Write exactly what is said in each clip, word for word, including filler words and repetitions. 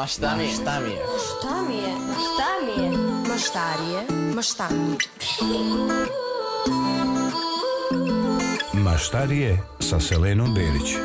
Ma šta mi je? Šta mi je? Šta mi je? Ma šta mi je? Ma štarije? Ma šta mi je? Maštarije sa Selenom Berić.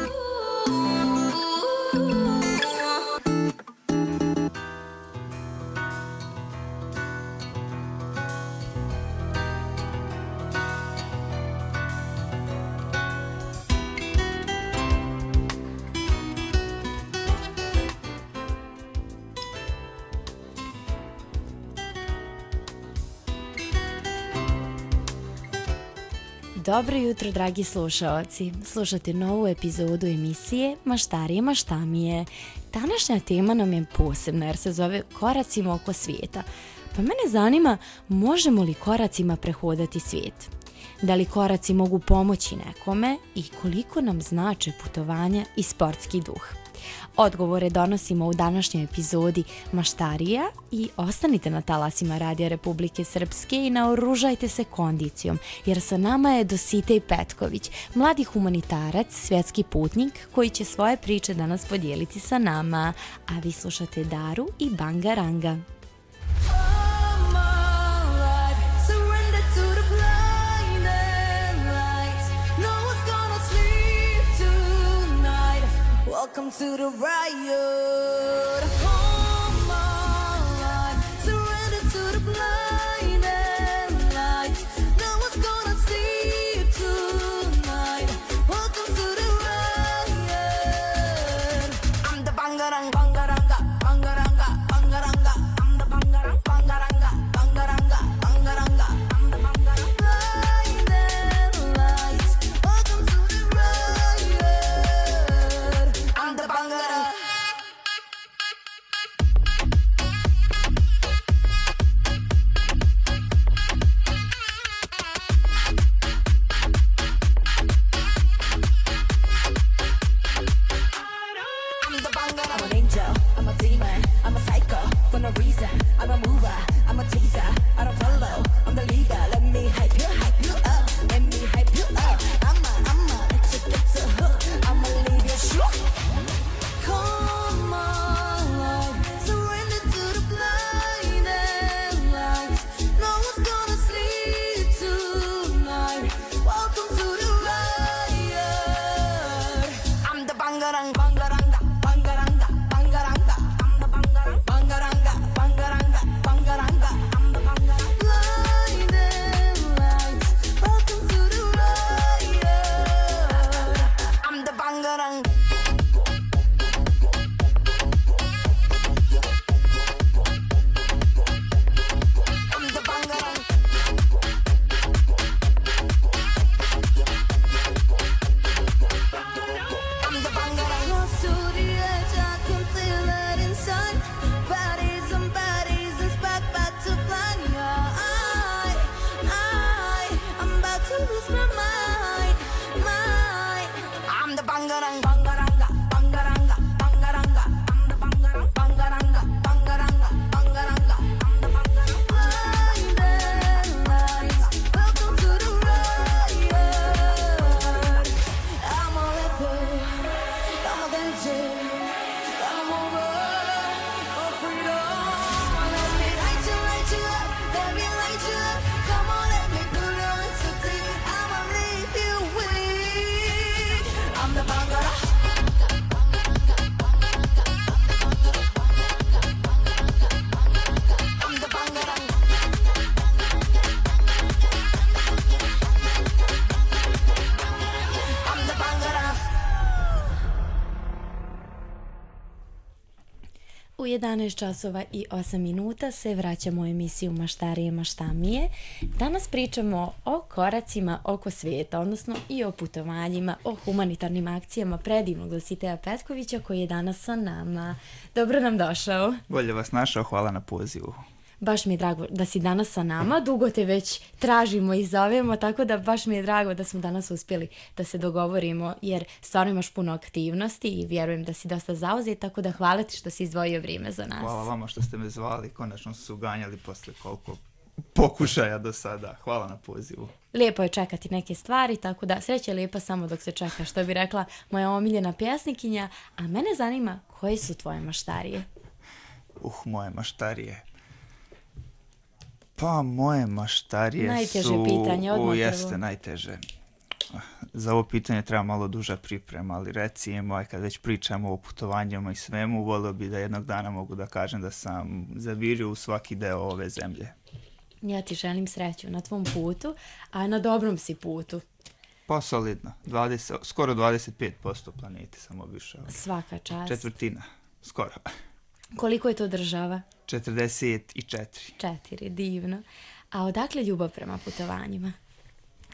Dobro jutro, dragi slušaoci. Slušate novu epizodu emisije Maštarije, ma šta mi je. Današnja tema nam je posebna jer se zove Koracima oko svijeta. Pa mene zanima, možemo li koracima prehodati svijet? Da li koraci mogu pomoći nekome i koliko nam znače putovanja i sportski duh? Odgovore donosimo u današnjoj epizodi Maštarija i ostanite na talasima Radija Republike Srpske i naoružajte se kondicijom, jer sa nama je Dositej Petković, mladi humanitarac, svjetski putnik koji će svoje priče danas podijeliti sa nama, a vi slušate Daru i Bangaranga. Welcome to the riot. Come on, surrender to the blinding lights. No one's gonna see you tonight. Welcome to the riot. I'm the Bangarang, Bangaranga, Bangaranga, Bangaranga. I'm the Bangarang, Bangaranga, Bangaranga, Bangaranga. I'm the Bangarang. Blinding lights. Welcome to the riot. I'm the Bangarang. I'm the Bangarang. I'm an angel, I'm a demon, I'm a psycho for no reason. I'm a mover, I'm a teaser, I don't follow, I'm the leader. Let me hype you, hype you up, let me hype you up. I'm a, I'm a, it's a, it's a hook, I'ma leave you shook. Come on, surrender to the blinding lights. No one's gonna sleep tonight. Welcome to the riot. I'm the Bangarang, Bangaranga, Bangaranga, Bangaranga. I'm the Bangarang, Bangaranga, Bangaranga, Bangaranga. I'm the Bangarang. Blinding lights. Welcome to the riot. I'm the Bangarang. I'm the Bangarang. I'm the Bangarang. Close to the edge, I can feel it inside. Bodies and bodies, it's back, back to plan. Yeah, I, I, I'm about to lose my mind, mind. I'm the Bangarang, Bangaranga, Bangaranga, Bangaranga. I'm the Bangarang, Bangaranga, Bangaranga, Bangaranga. I'm the Bangarang. Blinding lights. Welcome to the riot. I'm a leper, I'm a danger, I'm over for freedom. Let me light you, light you up, let me light you up. Come on, let me pull you in so deep. I'ma leave you weak. I'm the Bangara. I'm the Bangara. I'm the Bangara. U jedanaest časova i osam minuta se vraćamo u emisiju Maštarije, ma šta mi je. Danas pričamo o koracima oko svijeta, odnosno i o putovanjima, o humanitarnim akcijama predivnog Dositeja Petkovića koji je danas sa nama. Dobro nam došao. Bolje vas našao, hvala na pozivu. Baš mi je drago da si danas sa nama, dugo te već tražimo i zovemo, tako da baš mi je drago da smo danas uspjeli da se dogovorimo, jer stvarno imaš puno aktivnosti i vjerujem da si dosta zauzet, tako da hvala ti što si izdvojio vrijeme za nas. Hvala vama što ste me zvali, konačno su ganjali posle koliko pokušaja do sada. Hvala na pozivu. Lijepo je čekati neke stvari, tako da sreća je lijepa samo dok se čeka, što bi rekla moja omiljena pjesnikinja, a mene zanima koje su tvoje maštarije? Uh, moje maštarije. Pa, moje maštarije najteže su... pitanje, odmah u, prvo. Jeste, najteže. Za ovo pitanje treba malo duža priprema, ali recimo, aj kad već pričamo o putovanjima i svemu, volio bi da jednog dana mogu da kažem da sam zavirio u svaki deo ove zemlje. Ja ti želim sreću na tvom putu, a na dobrom si putu. Pa solidno, dvadeset, skoro dvadeset pet posto planete sam obišao. Svaka čast. Četvrtina, skoro. Koliko je to država? četrdeset četiri. Četiri, divno. A odakle ljubav prema putovanjima?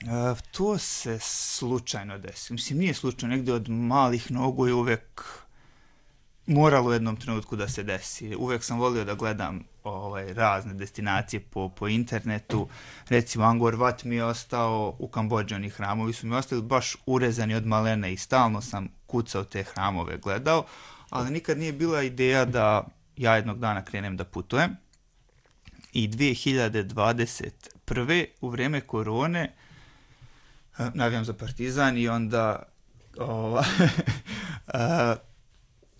Uh, to se slučajno desi. Mislim, nije slučajno, negdje od malih nogu je uvek moralo u jednom trenutku da se desi. Uvek sam volio da gledam ovaj, razne destinacije po, po internetu. Recimo, Angkor Wat mi je ostao u Kambodži, oni hramovi su mi ostali baš urezani od malene i stalno sam kucao te hramove, gledao, ali nikad nije bila ideja da ja jednog dana krenem da putujem. I dvije hiljade dvadeset prve u vrijeme korone navijam za Partizan i onda ova, a,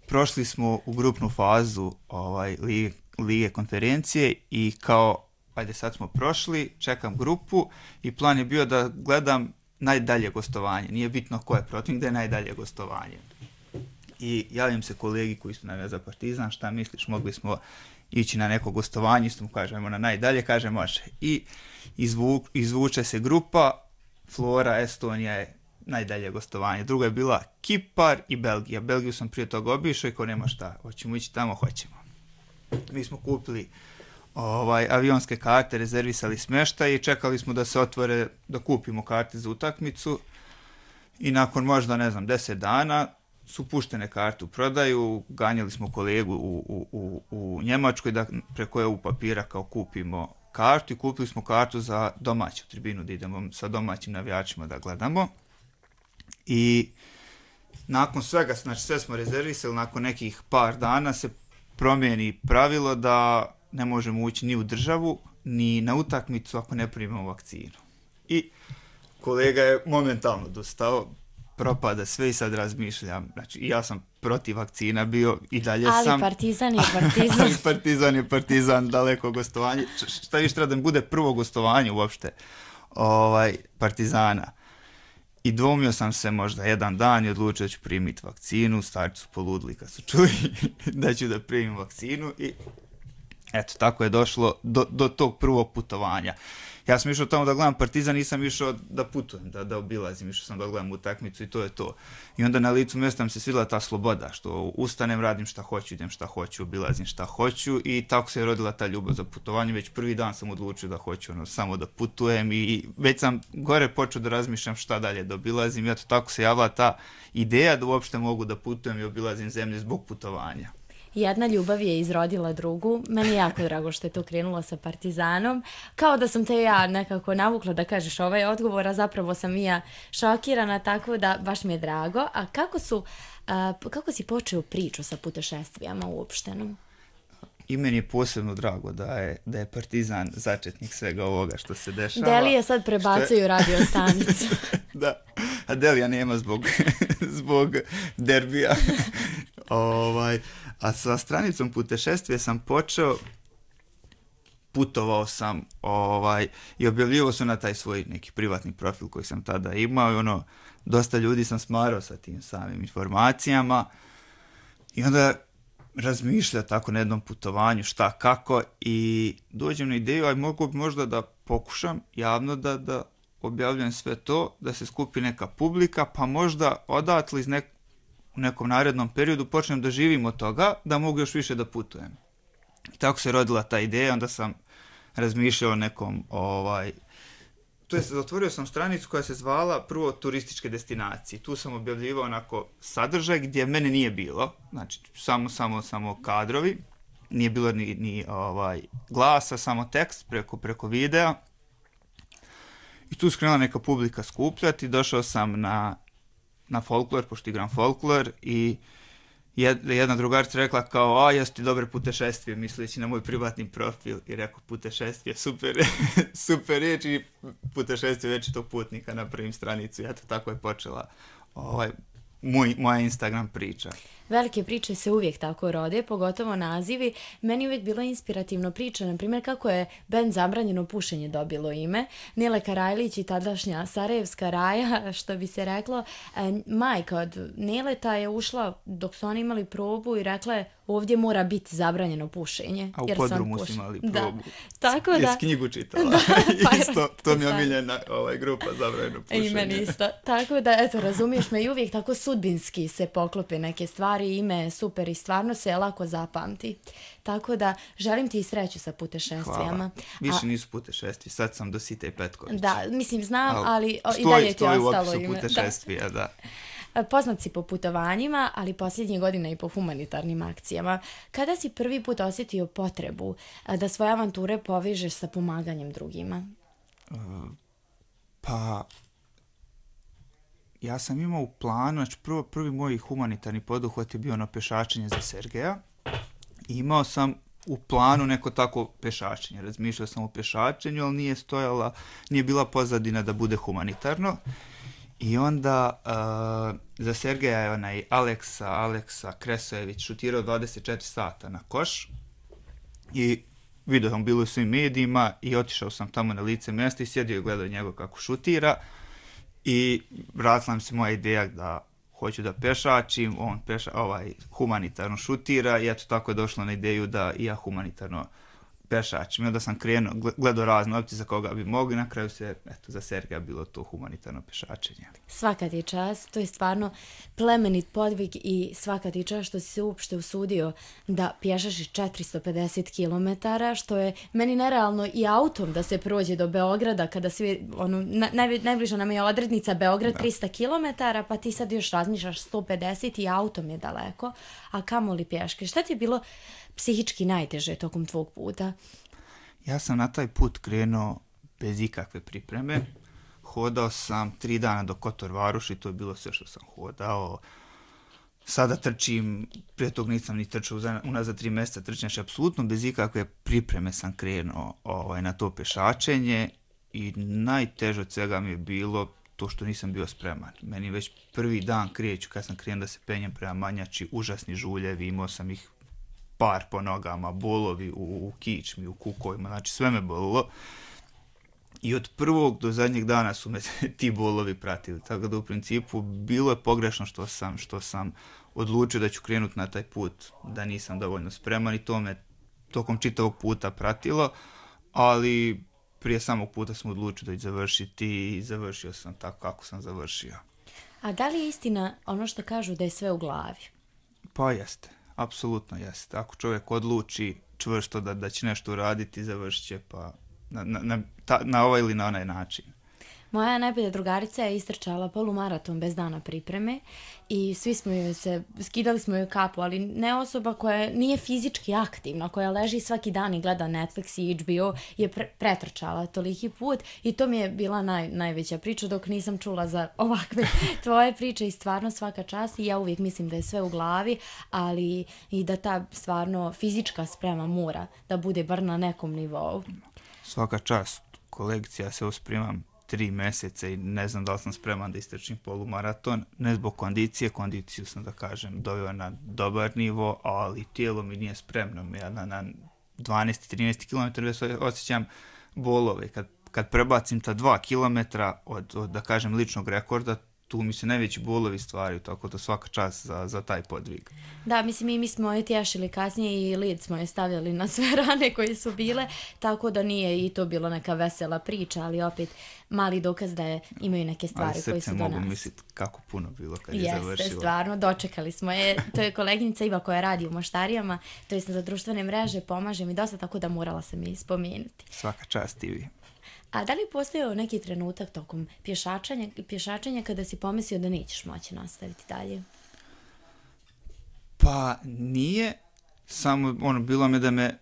prošli smo u grupnu fazu ovaj, lige, lige konferencije i kao, ajde sad smo prošli, čekam grupu i plan je bio da gledam najdalje gostovanje. Nije bitno ko je protiv, gde je najdalje gostovanje. I javim se kolegi koji su navijali za Partizan, šta misliš, mogli smo ići na neko gostovanje, isto mu kažemo na najdalje, kaže može. I izvu, izvuče se grupa, Flora, Estonija je najdalje gostovanje. Druga je bila Kipar i Belgija. Belgiju sam prije toga obišao i ko nema šta, hoćemo ići tamo, hoćemo. Mi smo kupili ovaj, avionske karte, rezervisali smještaj i čekali smo da se otvore, da kupimo karte za utakmicu i nakon možda, ne znam, deset dana su puštene karte u prodaju, ganjali smo kolegu u, u, u, u Njemačkoj da preko E U papira kao kupimo kartu i kupili smo kartu za domaću tribinu da idemo sa domaćim navijačima da gledamo. I nakon svega, znači sve smo rezervisali, nakon nekih par dana se promijeni pravilo da ne možemo ući ni u državu, ni na utakmicu ako ne primimo vakcinu. I kolega je momentalno dostao, propada sve i sad razmišljam. Znači, ja sam protiv vakcina bio i dalje ali sam... Ali Partizan je Partizan. ali Partizan je Partizan, daleko gostovanje. Šta više treba da bude prvo gostovanje uopšte ovaj, Partizana. I dvomio sam se možda jedan dan i odlučio da ću primiti vakcinu. Starci su poludili kad su čuli da ću da primim vakcinu i eto, tako je došlo do, do tog prvog putovanja. Ja sam išao tamo da gledam Partizan, nisam išao da putujem, da, da obilazim, išao sam da gledam utakmicu i to je to. I onda na licu mjesta mi se svidjela ta sloboda, što ustanem, radim šta hoću, idem šta hoću, obilazim šta hoću i tako se je rodila ta ljubav za putovanje. Već prvi dan sam odlučio da hoću ono, samo da putujem i već sam gore počeo da razmišljam šta dalje da obilazim i eto tako se javila ta ideja da uopšte mogu da putujem i obilazim zemlje zbog putovanja. Jedna ljubav je izrodila drugu. Meni je jako drago što je to krenulo sa Partizanom. Kao da sam te ja nekako navukla da kažeš ovaj odgovor, a zapravo sam i ja šokirana, tako da baš mi je drago. A kako su, a, kako si počeo priču sa putešestvijama uopštenom? I meni je posebno drago da je, da je Partizan začetnik svega ovoga što se dešava. Delije sad prebacuju je... radio stanicu. Da, a Delija nema zbog, zbog derbija. ovaj, a sa stranicom putešestvije sam počeo, putovao sam ovaj, i objavljivao sam na taj svoj neki privatni profil koji sam tada imao i ono, dosta ljudi sam smarao sa tim samim informacijama i onda razmišlja tako na jednom putovanju šta kako i dođem na ideju, aj mogu možda da pokušam javno da, da objavljam sve to, da se skupi neka publika, pa možda odatle iz nek, u nekom narednom periodu počnem da živim od toga, da mogu još više da putujem. I tako se rodila ta ideja, onda sam razmišljao o nekom, ovaj, to jest otvorio sam stranicu koja se zvala prvo turističke destinacije. Tu sam objavljivao onako sadržaj gdje mene nije bilo, znači samo, samo, samo kadrovi, nije bilo ni, ni ovaj, glasa, samo tekst preko, preko videa. I tu skrenula neka publika skupljati, došao sam na, na folklor, pošto igram folklor i jedna drugarica rekla kao, a jesu ti dobre putešestvije, misleći na moj privatni profil i rekao putešestvije, super, super riječ i putešestvije večitog putnika na prvim stranicu i eto tako je počela ovaj, moj, moja Instagram priča. velike priče se uvijek tako rode, pogotovo nazivi. Meni je uvijek bila inspirativno priča, na primjer kako je bend Zabranjeno pušenje dobilo ime. Nele Karajlić i tadašnja Sarajevska Raja, što bi se reklo, majka od Neleta je ušla dok su oni imali probu i rekla je ovdje mora biti zabranjeno pušenje. A u jer podrumu puš... su imali da. probu. Tako da... Jes knjigu čitala. Da, pa, isto, to mi je omiljena ovaj, grupa Zabranjeno pušenje. I meni isto. Tako da, eto, razumiješ me i uvijek tako sudbinski se poklope neke stvari, ime je super i stvarno se lako zapamti. Tako da, želim ti i sreću sa putešestvijama. Hvala. Više A, nisu putešestvi, sad sam do Site Petković. Da, mislim, znam, Al, ali o, stoji, i dalje ti stoji ostalo u opisu ime. putešestvija, da. da. Poznat si po putovanjima, ali posljednje godine i po humanitarnim akcijama. Kada si prvi put osjetio potrebu da svoje avanture povežeš sa pomaganjem drugima? Uh, pa... Ja sam imao u planu, znači prvo, prvi moj humanitarni poduhvat je bio na pešačenje za Sergeja. I imao sam u planu neko tako pešačenje. Razmišljao sam o pešačenju, ali nije stojala, nije bila pozadina da bude humanitarno. I onda uh, za Sergeja je onaj Aleksa, Aleksa Kresojević šutirao dvadeset četiri sata na koš. I vidio sam bilo u svim medijima i otišao sam tamo na lice mjesta i sjedio i gledao njegov kako šutira. I vratila mi se moja ideja da hoću da pešačim, on peša, ovaj, humanitarno šutira i eto tako je došlo na ideju da i ja humanitarno pešačim. I onda sam krenuo, gledao razne opcije za koga bi mogli, na kraju se, eto, za Sergeja bilo to humanitarno pešačenje. Svaka ti čast, to je stvarno plemenit podvig i svaka ti čast što si se uopšte usudio da pješaš četiristo pedeset kilometara, što je meni nerealno i autom da se prođe do Beograda, kada svi, ono, naj, najbliža nam je odrednica Beograd da. trista kilometara, pa ti sad još razmišljaš sto pedeset i autom je daleko, a kamoli pješke. Šta ti je bilo psihički najteže tokom tvog puta? Ja sam na taj put krenuo bez ikakve pripreme. Hodao sam tri dana do Kotor Varoši, to je bilo sve što sam hodao. Sada trčim, prije tog nisam ni trčao, unazad tri mjeseca trčim, znači apsolutno bez ikakve pripreme sam krenuo ovaj, na to pešačenje i najteže od svega mi je bilo to što nisam bio spreman. Meni već prvi dan kreću, kad sam krenuo da se penjem prema Manjači, užasni žuljevi, imao sam ih par po nogama, bolovi u, u kičmi, u kukovima, znači sve me bolilo. I od prvog do zadnjeg dana su me ti bolovi pratili. Tako da u principu bilo je pogrešno što sam, što sam odlučio da ću krenuti na taj put, da nisam dovoljno spreman i to me tokom čitavog puta pratilo, ali prije samog puta sam odlučio da ću završiti i završio sam tako kako sam završio. A da li je istina ono što kažu da je sve u glavi? Pa jeste. Apsolutno jeste. Ako čovjek odluči čvrsto da, da će nešto uraditi, završit će pa na, na, na, ta, na ovaj ili na onaj način. Moja najbolja drugarica je istrčala polumaraton bez dana pripreme i svi smo joj se, skidali smo joj kapu, ali ne osoba koja nije fizički aktivna, koja leži svaki dan i gleda Netflix i H B O, je pre, pretrčala toliki put i to mi je bila naj, najveća priča dok nisam čula za ovakve tvoje priče i stvarno svaka čast i ja uvijek mislim da je sve u glavi, ali i da ta stvarno fizička sprema mora da bude bar na nekom nivou. Svaka čast, kolegice, ja se usprimam tri mjeseca i ne znam da li sam spreman da istrčim polumaraton, ne zbog kondicije, kondiciju sam da kažem doveo na dobar nivo, ali tijelo mi nije spremno, ja na, na dvanaest trinaest kilometara osjećam bolove, kad, kad prebacim ta dva kilometra od, od da kažem ličnog rekorda, tu mi se najveći bolovi stvaraju, tako da svaka čast za, za taj podvig. Da, mislim i mi smo je tješili kasnije i lid smo je stavljali na sve rane koje su bile, tako da nije i to bilo neka vesela priča, ali opet mali dokaz da je, imaju neke stvari koje su do nas. Ali srce mogu misliti kako puno bilo kad je Jeste, završilo. Jeste, stvarno, dočekali smo je. To je koleginica Iva koja radi u Moštarijama, to je za društvene mreže, pomaže mi dosta, tako da morala sam i spomenuti. Svaka čast Ivi. A da li je postojao neki trenutak tokom pješačenja, pješačenja kada si pomislio da nećeš moći nastaviti dalje? Pa nije, samo ono, bilo mi da me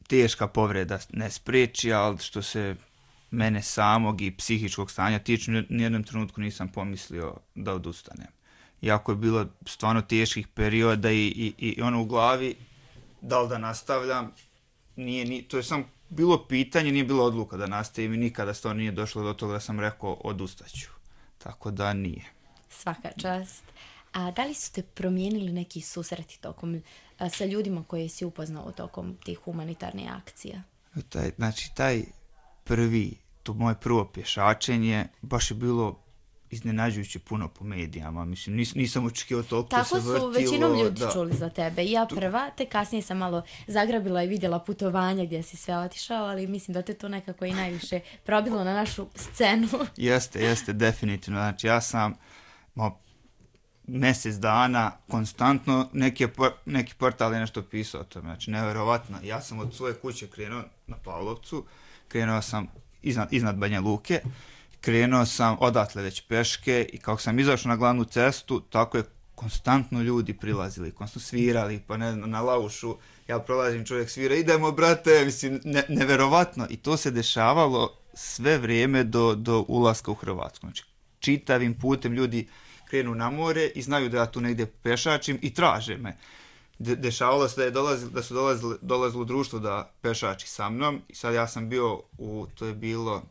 teška povreda ne spriječi, ali što se mene samog i psihičkog stanja tiče, nijednom trenutku nisam pomislio da odustanem. Iako je bilo stvarno teških perioda i, i, i ono u glavi, da li da nastavljam, nije, nije, to je samo bilo pitanje, nije bilo odluka da nastavim i nikada stvarno nije došlo do toga da sam rekao odustaću. Tako da nije. Svaka čast. A da li su te promijenili neki susreti tokom, a, sa ljudima koje si upoznao tokom tih humanitarnih akcija? Taj, znači, taj prvi, to moje prvo pješačenje, baš je bilo iznenađujuće puno po medijama. Mislim, nis, nisam očekivao toliko Tako se vrtilo. su većinom ljudi da. čuli za tebe. I ja prva, te kasnije sam malo zagrabila i vidjela putovanja gdje si sve otišao, ali mislim da te to nekako i najviše probilo na našu scenu. Jeste, jeste, definitivno. Znači, ja sam mo, mjesec dana konstantno neki, neki portal je nešto pisao o tome. Znači, nevjerovatno. Ja sam od svoje kuće krenuo na Pavlovcu, krenuo sam iznad, iznad Banja Luke, krenuo sam odatle već peške i kako sam izašao na glavnu cestu, tako je konstantno ljudi prilazili, konstantno svirali, pa ne znam, na laušu, ja prolazim, čovjek svira, idemo brate, mislim, ne, neverovatno. I to se dešavalo sve vrijeme do, do ulaska u Hrvatsku. Znači, čitavim putem ljudi krenu na more i znaju da ja tu negdje pešačim i traže me. De, dešavalo se da, je dolazili, da su dolazili, dolazilo društvo da pešači sa mnom i sad ja sam bio u, to je bilo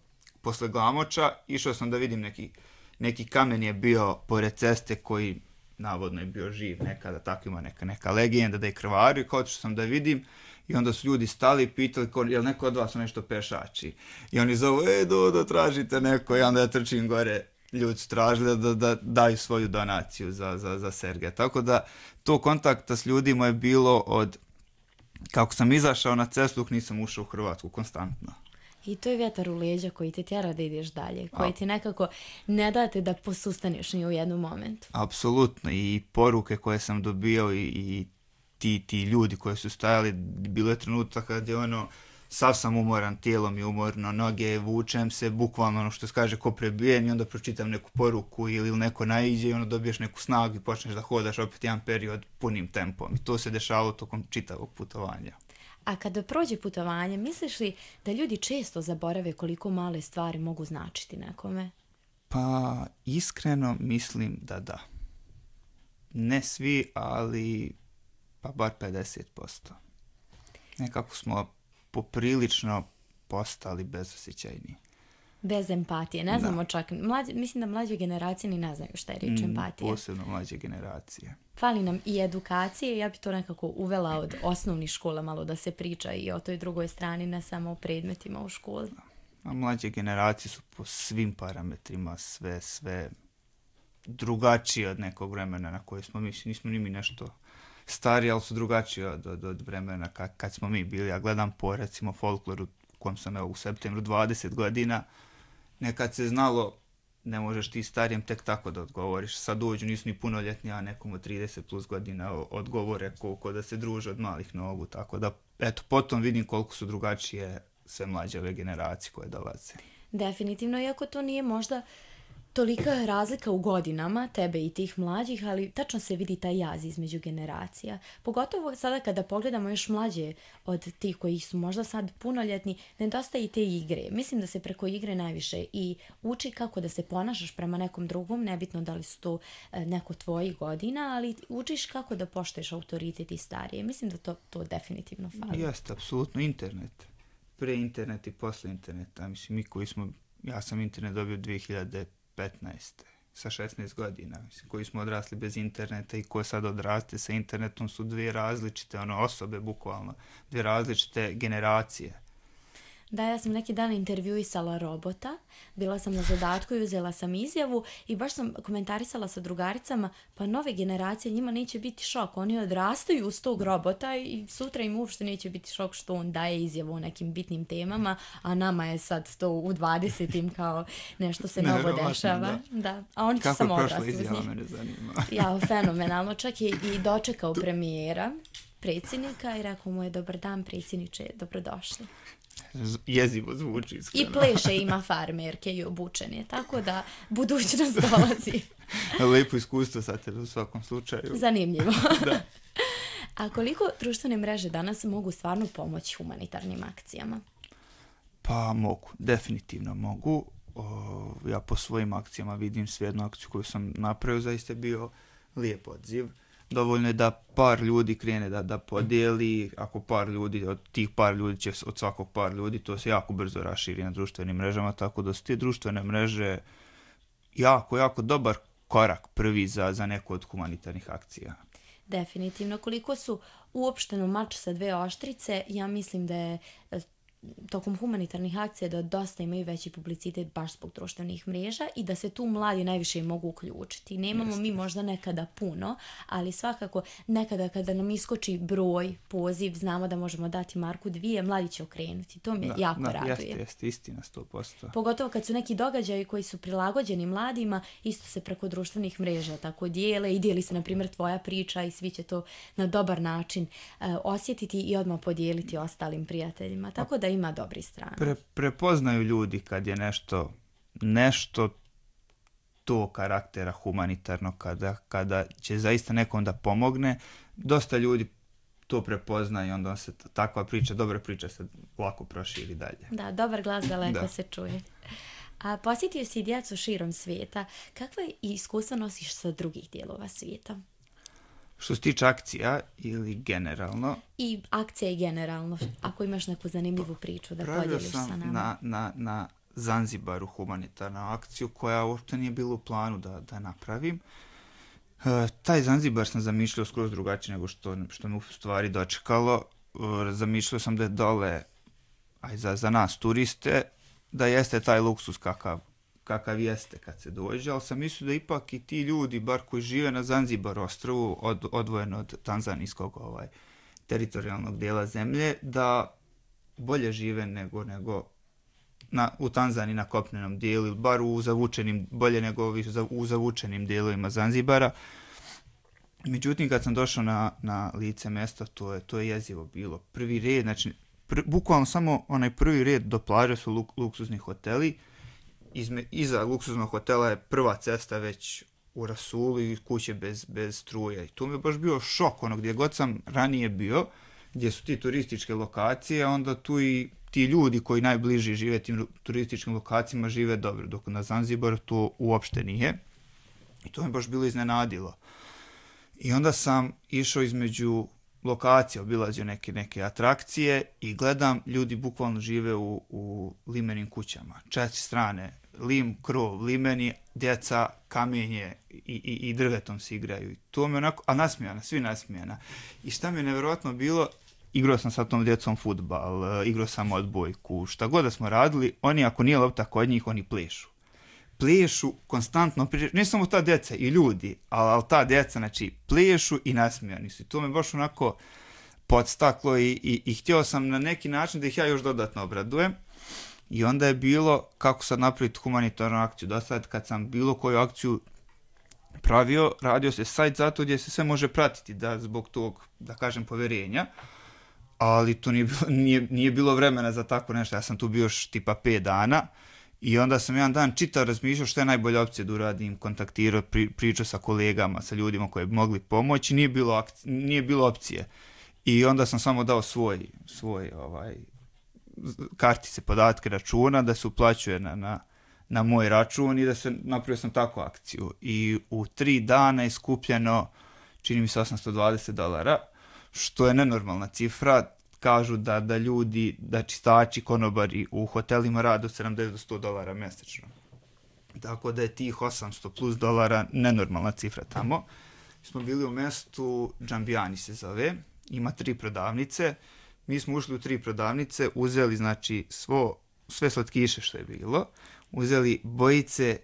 posle Glamoča, išao sam da vidim neki, neki kamen je bio pored ceste koji navodno je bio živ nekada, tako ima neka, neka legenda da je krvario, kao što sam da vidim i onda su ljudi stali i pitali ko, je li neko od vas nešto pešači i oni zovu, e Dodo, tražite neko i onda ja trčim gore, ljudi su tražili da, da daju svoju donaciju za, za, za Sergeja, tako da to kontakta s ljudima je bilo od kako sam izašao na cestu dok nisam ušao u Hrvatsku konstantno. I to je vjetar u leđa koji te tjera da ideš dalje, koji ti nekako ne date da posustaneš ni u jednom momentu. Apsolutno, i poruke koje sam dobio i, i ti, ti ljudi koji su stajali, bilo je trenutak kad je ono, sav sam umoran, tijelom je umorno, noge, vučem se, bukvalno ono što se kaže ko prebijen i onda pročitam neku poruku ili neko naiđe i onda dobiješ neku snagu i počneš da hodaš opet jedan period punim tempom. I to se dešavalo tokom čitavog putovanja. A kada prođe putovanje, misliš li da ljudi često zaborave koliko male stvari mogu značiti nekome? Pa, iskreno mislim da da. Ne svi, ali pa bar pedeset posto. Nekako smo poprilično postali bezosjećajni. Bez empatije. Ne znamo čak, mlađe, mislim da mlađe generacije ni ne znaju šta je riječ empatije. Mm, posebno mlađe generacije. Fali nam i edukacije, ja bi to nekako uvela od osnovnih škola malo da se priča i o toj drugoj strani, ne samo o predmetima u školi. A mlađe generacije su po svim parametrima sve, sve drugačije od nekog vremena na koje smo mi, nismo ni mi nešto stariji, ali su drugačiji od, od, od vremena kad, kad smo mi bili. Ja gledam po recimo folkloru u kojem sam evo, u septembru dvadeset godina, nekad se znalo ne možeš ti starijem tek tako da odgovoriš. Sad dođu, nisu ni punoljetni, a nekom od trideset plus godina odgovore koliko da se druže od malih nogu. Tako da, eto, potom vidim koliko su drugačije sve mlađe ove generacije koje dolaze. Definitivno, iako to nije možda tolika razlika u godinama, tebe i tih mlađih, ali tačno se vidi taj jaz između generacija. Pogotovo sada kada pogledamo još mlađe od tih koji su možda sad punoljetni, nedostaje i te igre. Mislim da se preko igre najviše i uči kako da se ponašaš prema nekom drugom, nebitno da li su to neko tvojih godina, ali učiš kako da poštuješ autoritet i starije. Mislim da to, to definitivno fali. Jeste, apsolutno, internet. Pre internet i posle interneta. Mislim, mi koji smo, ja sam internet dobio dvije hiljade petnaeste sa šesnaest godina, mislim, koji smo odrasli bez interneta i ko sad odraste sa internetom su dvije različite ono, osobe, bukvalno, dvije različite generacije. Da, ja sam neki dan intervjuisala robota, bila sam na zadatku i uzela sam izjavu i baš sam komentarisala sa drugaricama, pa nove generacije njima neće biti šok, oni odrastaju uz tog robota i sutra im uopšte neće biti šok što on daje izjavu o nekim bitnim temama, a nama je sad to u dvadesetim kao nešto se novo dešava. Da. Da. A oni će samo odrasti uz njih. Kako prošla izjava, mene zanima. Ja, fenomenalno, čak je i dočekao premijera, predsjednika i rekao mu je dobar dan predsjedniče, dobrodošli. Jezivo zvuči iskreno. I pleše ima farmerke i obučen je, tako da budućnost dolazi. Lepo iskustvo sa tebe u svakom slučaju. Zanimljivo. Da. A koliko društvene mreže danas mogu stvarno pomoći humanitarnim akcijama? Pa mogu, definitivno mogu. O, ja po svojim akcijama vidim sve jednu akciju koju sam napravio, zaista je bio lijep odziv. Dovoljno je da par ljudi krene da, da podijeli, ako par ljudi, od tih par ljudi će od svakog par ljudi, to se jako brzo raširi na društvenim mrežama, tako da su te društvene mreže jako, jako dobar korak prvi za, za neku od humanitarnih akcija. Definitivno. Koliko su uopšteno mač sa dve oštrice, ja mislim da je tokom humanitarnih akcija da dosta imaju veći publicitet baš zbog društvenih mreža i da se tu mladi najviše mogu uključiti. Nemamo Jeste. mi možda nekada puno, ali svakako nekada kada nam iskoči broj, poziv, znamo da možemo dati marku dvije, mladi će okrenuti. To me da, jako da, raduje. Jeste, jeste, istina, sto posto. Pogotovo kad su neki događaji koji su prilagođeni mladima, isto se preko društvenih mreža tako dijele i dijeli se, na primjer, tvoja priča i svi će to na dobar način uh, osjetiti i odmah podijeliti ostalim prijateljima. Tako da ima dobri strane. Pre, prepoznaju ljudi kad je nešto nešto to karaktera humanitarno, kada, kada će zaista nekom da pomogne. Dosta ljudi to prepozna i onda se takva priča, dobra priča se lako proširi dalje. Da, dobar glas daleko da. se čuje. A posjetio si djecu širom svijeta. Kakva iskustva nosiš sa drugih dijelova svijeta? Što se tiče akcija ili generalno? I akcija i generalno. Ako imaš neku zanimljivu priču da podijeliš sa nama. Pravio sam na, na, na Zanzibaru humanitarnu akciju koja uopšte nije bilo u planu da, da napravim. E, taj Zanzibar sam zamišljao skroz drugačije nego što, što me u stvari dočekalo. E, zamišljao sam da je dole, aj za, za nas turiste, da jeste taj luksus kakav kakav jeste kad se dođe, ali sam mislio da ipak i ti ljudi, bar koji žive na Zanzibar ostrvu, od, odvojeno od tanzanijskog ovaj, teritorijalnog dijela zemlje, da bolje žive nego, nego na, u Tanzaniji na kopnenom dijelu, bar u zavučenim, bolje nego u zavučenim dijelovima Zanzibara. Međutim, kad sam došao na, na lice mjesta, to je, to je jezivo bilo. Prvi red, znači, pr, bukvalno samo onaj prvi red do plaže su luk, luksuzni hoteli. Izme, iza luksuznog hotela je prva cesta već u rasulu i kuće bez, bez struje. I tu mi je baš bio šok, ono gdje god sam ranije bio, gdje su ti turističke lokacije, onda tu i ti ljudi koji najbliži žive tim turističkim lokacijama žive dobro, dok na Zanzibaru to uopšte nije. I to me baš bilo iznenadilo. I onda sam išao između lokacija, obilazio neke, neke atrakcije i gledam, ljudi bukvalno žive u, u limenim kućama. Četiri strane, lim, krov, limeni, djeca, kamenje i, i, i drvetom se igraju. I to mi onako, a nasmijana, svi nasmijana. I šta mi je nevjerojatno bilo, igrao sam sa tom djecom fudbal, igrao sam odbojku, šta god da smo radili, oni ako nije lopta kod njih, oni plešu. Plešu konstantno, ne samo ta djeca i ljudi, ali, ali ta djeca, znači, plešu i nasmijani su. I to me baš onako podstaklo i, i, i htio sam na neki način da ih ja još dodatno obradujem. I onda je bilo kako sad napraviti humanitarnu akciju. Do sad kad sam bilo koju akciju pravio, radio se sajt zato gdje se sve može pratiti, da zbog tog, da kažem, povjerenja. Ali to nije bilo, nije, nije bilo vremena za tako nešto. Ja sam tu bio još tipa pet dana. I onda sam jedan dan čitao, razmišljao što je najbolja opcija da uradim, kontaktirao, pri, pričao sa kolegama, sa ljudima koji bi mogli pomoći, nije bilo, akci, nije bilo opcije. I onda sam samo dao svoj, svoj ovaj, kartice, podatke računa, da se uplaćuje na, na, na moj račun i da se napravio sam takvu akciju. I u tri dana je skupljeno, čini mi se, osamsto dvadeset dolara, što je nenormalna cifra. Kažu da, da ljudi, da čistači, konobari u hotelima rade od sedamdeset do sto dolara mjesečno. Tako da je tih osamsto plus dolara nenormalna cifra tamo. Smo bili u mjestu, Džambijani se zove, ima tri prodavnice. Mi smo ušli u tri prodavnice, uzeli znači svo, sve slatkiše što je bilo, uzeli bojice,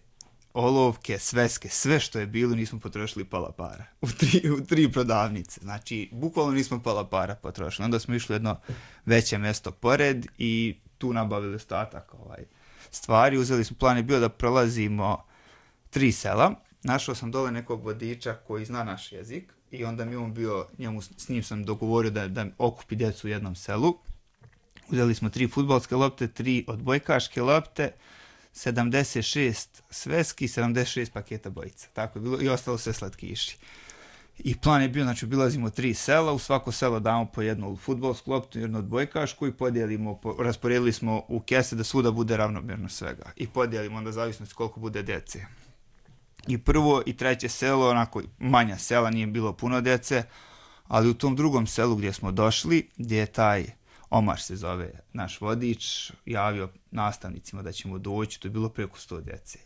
olovke, sveske, sve što je bilo, nismo potrošili pola para. U tri, u tri prodavnice. Znači, bukvalno nismo pola para potrošili. Onda smo išli jedno veće mjesto pored i tu nabavili ostatak ovaj, stvari. Uzeli smo, plan je bio da prolazimo tri sela. Našao sam dole nekog vodiča koji zna naš jezik i onda mi on bio, njemu, s njim sam dogovorio da, da okupi djecu u jednom selu. Uzeli smo tri fudbalske lopte, tri odbojkaške lopte, sedamdeset šest sveski, sedamdeset šest paketa bojica. Tako je bilo i ostalo sve slatkiši. I plan je bio, znači obilazimo tri sela, u svako selo damo po jednu fudbalsku loptu, jednu odbojkašku i podijelimo, po, rasporedili smo u kese da svuda bude ravnomjerno svega. I podijelimo onda zavisnosti koliko bude djece. I prvo i treće selo, onako manja sela, nije bilo puno djece, ali u tom drugom selu gdje smo došli, gdje je taj Omar se zove naš vodič, javio nastavnicima da ćemo doći, to je bilo preko sto djece.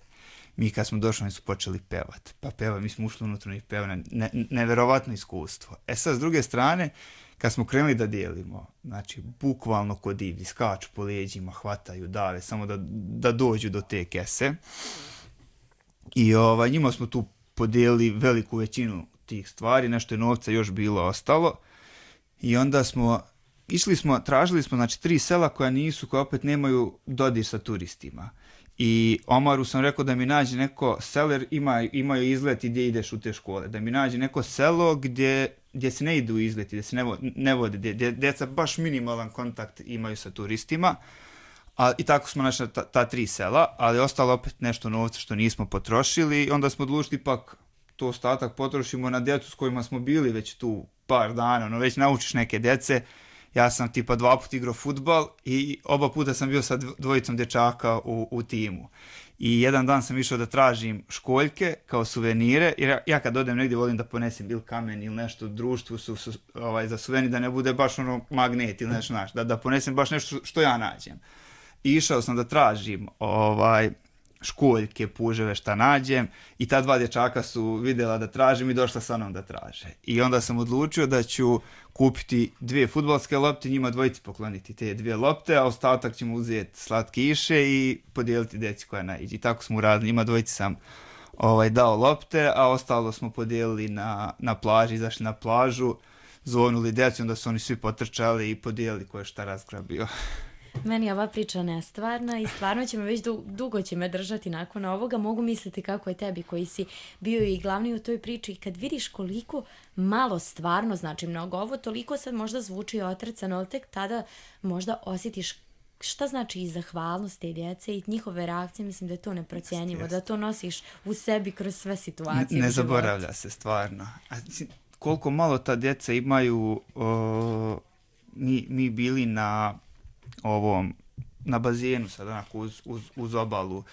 mi kad smo došli, oni su počeli pevat. Pa peva, mi smo ušli unutra i peva, ne, neverovatno iskustvo. E sad, s druge strane, kad smo krenuli da dijelimo, znači, bukvalno kod divlji, skaču po leđima, hvataju, dave, samo da, da dođu do te kese. I ovaj, njima smo tu podijelili veliku većinu tih stvari, nešto je novca još bilo ostalo. I onda smo, išli smo, tražili smo, znači, tri sela koja nisu, koja opet nemaju dodir sa turistima. I Omaru sam rekao da mi nađe neko selo, jer ima, imaju izlet i gdje ideš u te škole, da mi nađe neko selo gdje, gdje se ne idu izleti, gdje se ne, vo, ne vode, gdje, gdje djeca baš minimalan kontakt imaju sa turistima. A, I tako smo našli ta, ta tri sela, ali ostalo opet nešto novca što nismo potrošili i onda smo odlučili ipak to ostatak potrošimo na djecu s kojima smo bili već tu par dana, no već naučiš neke djece. Ja sam tipa dva puta igrao fudbal i oba puta sam bio sa dvojicom dječaka u, u timu. I jedan dan sam išao da tražim školjke kao suvenire, jer ja, ja kad odem negdje volim da ponesem bil kamen ili nešto u društvu su, su, ovaj, za suvenir, da ne bude baš ono magnet ili nešto, naš, da, da ponesem baš nešto što ja nađem. I išao sam da tražim ovaj, školjke, puževe, šta nađem i ta dva dječaka su vidjela da tražim i došla sa mnom da traže. I onda sam odlučio da ću kupiti dvije fudbalske lopte, njima dvojici pokloniti te dvije lopte, a ostatak ćemo uzeti slatkiše i podijeliti djeci koja naiđe. I tako smo uradili, njima dvojici sam ovaj, dao lopte, a ostalo smo podijelili na, na plaži, izašli na plažu, zvonuli djeci, onda su oni svi potrčali i podijelili ko je šta razgrabio. Meni je ova priča nestvarna i stvarno će me već du- dugo će me držati nakon ovoga. Mogu misliti kako je tebi koji si bio i glavni u toj priči. Kad vidiš koliko malo stvarno znači mnogo ovo, toliko sad možda zvuči otrcano, ali tek tada možda osjetiš šta znači i zahvalnost te djece i njihove reakcije. Mislim da je to neprocjenjivo, da to nosiš u sebi kroz sve situacije. Ne, ne zaboravlja se stvarno. A koliko malo ta djeca imaju, o, mi, mi bili na ovom, na bazenu sad onako uz, uz, uz obalu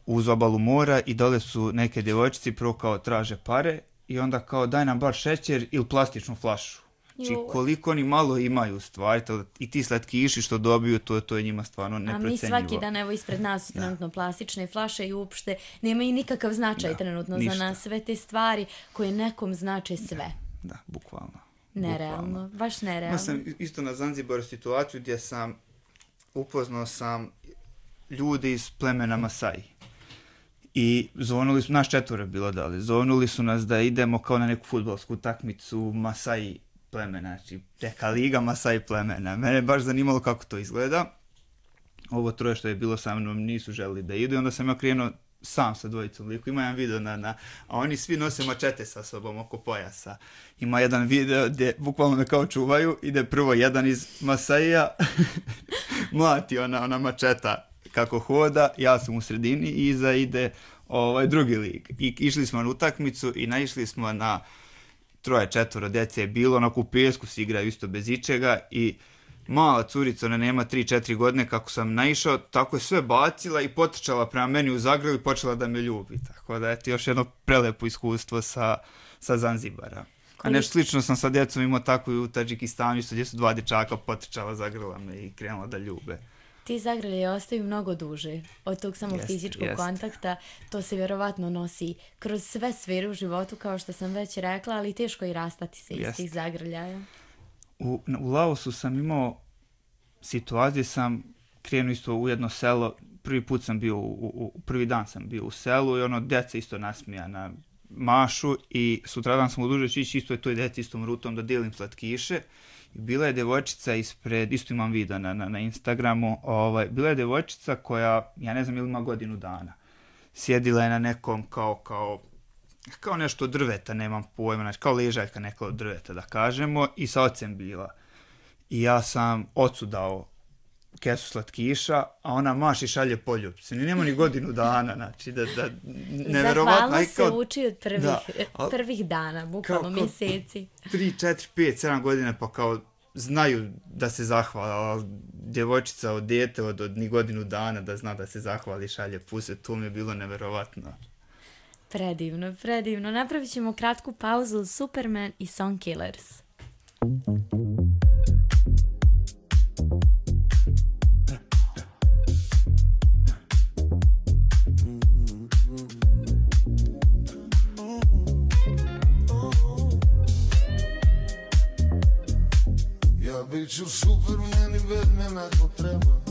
uz obalu mora i dole su neke djevojčice prvo kao traže pare i onda kao daj nam bar šećer ili plastičnu flašu. Znači koliko oni malo imaju stvari to, i ti slatkiši što dobiju to, to je njima stvarno neprocenjivo. A mi svaki dan evo ispred nas su trenutno plastične flaše i uopšte nemaju nikakav značaj da, trenutno ništa. Za nas sve te stvari koje nekom znače sve. Da, da bukvalno. Nerealno, bukvalno. Baš nerealno. Ja sam isto na Zanzibaru situaciju gdje sam upoznao sam ljudi iz plemena Masai. I zvonili su, naš četvore bilo dali, zvonili su nas da idemo kao na neku fudbalsku utakmicu Masai plemena, znači neka liga Masai plemena. Mene je baš zanimalo kako to izgleda. Ovo troje što je bilo sa mnom nisu želili da idu i onda sam ja krenuo sam sa dvojicom liku. Ima jedan video na, na, a oni svi nose mačete sa sobom oko pojasa. Ima jedan video gdje bukvalno me kao čuvaju, ide prvo jedan iz Masaija, mlati ona, ona mačeta kako hoda, ja sam u sredini i iza ide ovaj, drugi lik. I išli smo na utakmicu i naišli smo na troje, četvoro djece je bilo, onako u pijesku se igraju isto bez ičega i mala curica, ona nema tri četiri godine, kako sam naišao, tako je sve bacila i potrčala prema meni u zagrlu i počela da me ljubi. Tako da, eto, još jedno prelepo iskustvo sa, sa Zanzibara. A nešto slično sam sa djecom imao tako i u Tadžikistanu, isto gdje su dva dječaka potrčala, zagrla me i krenula da ljube. Ti zagrlje ostaju mnogo duže od tog samo jest, fizičkog jest. kontakta. To se vjerovatno nosi kroz sve sfere u životu, kao što sam već rekla, ali teško i rastati se jest. iz tih zagrljaja. U, u Laosu sam imao situaciju, sam krenuo isto u jedno selo, prvi put sam bio, u, u, prvi dan sam bio u selu i ono, djeca isto nasmijana mašu i sutradan sam odlučio ići isto je toj djeci istom rutom da dijelim slatkiše. I bila je djevojčica ispred, isto imam video na, na, na Instagramu, ovaj, bila je djevojčica koja, ja ne znam ili ima godinu dana, sjedila je na nekom kao, kao, kao nešto od drveta, nemam pojma, znači kao ležaljka neka od drveta da kažemo i sa ocem bila. I ja sam ocu dao kesu slatkiša, a ona maši šalje poljubce. Ni nema ni godinu dana, znači da, da neverovatno. Zahvalno se uči od prvih, da, al, prvih dana, bukvalno kao, mjeseci. tri, četiri, pet, sedam godina pa kao znaju da se zahvala. Djevojčica od dijete od, od ni godinu dana da zna da se zahvali šalje puse, to mi je bilo neverovatno. Predivno, predivno. Napravit ćemo kratku pauzu, Superman i Song Killers. Mm-hmm. bit ću Superman i Batman ako treba.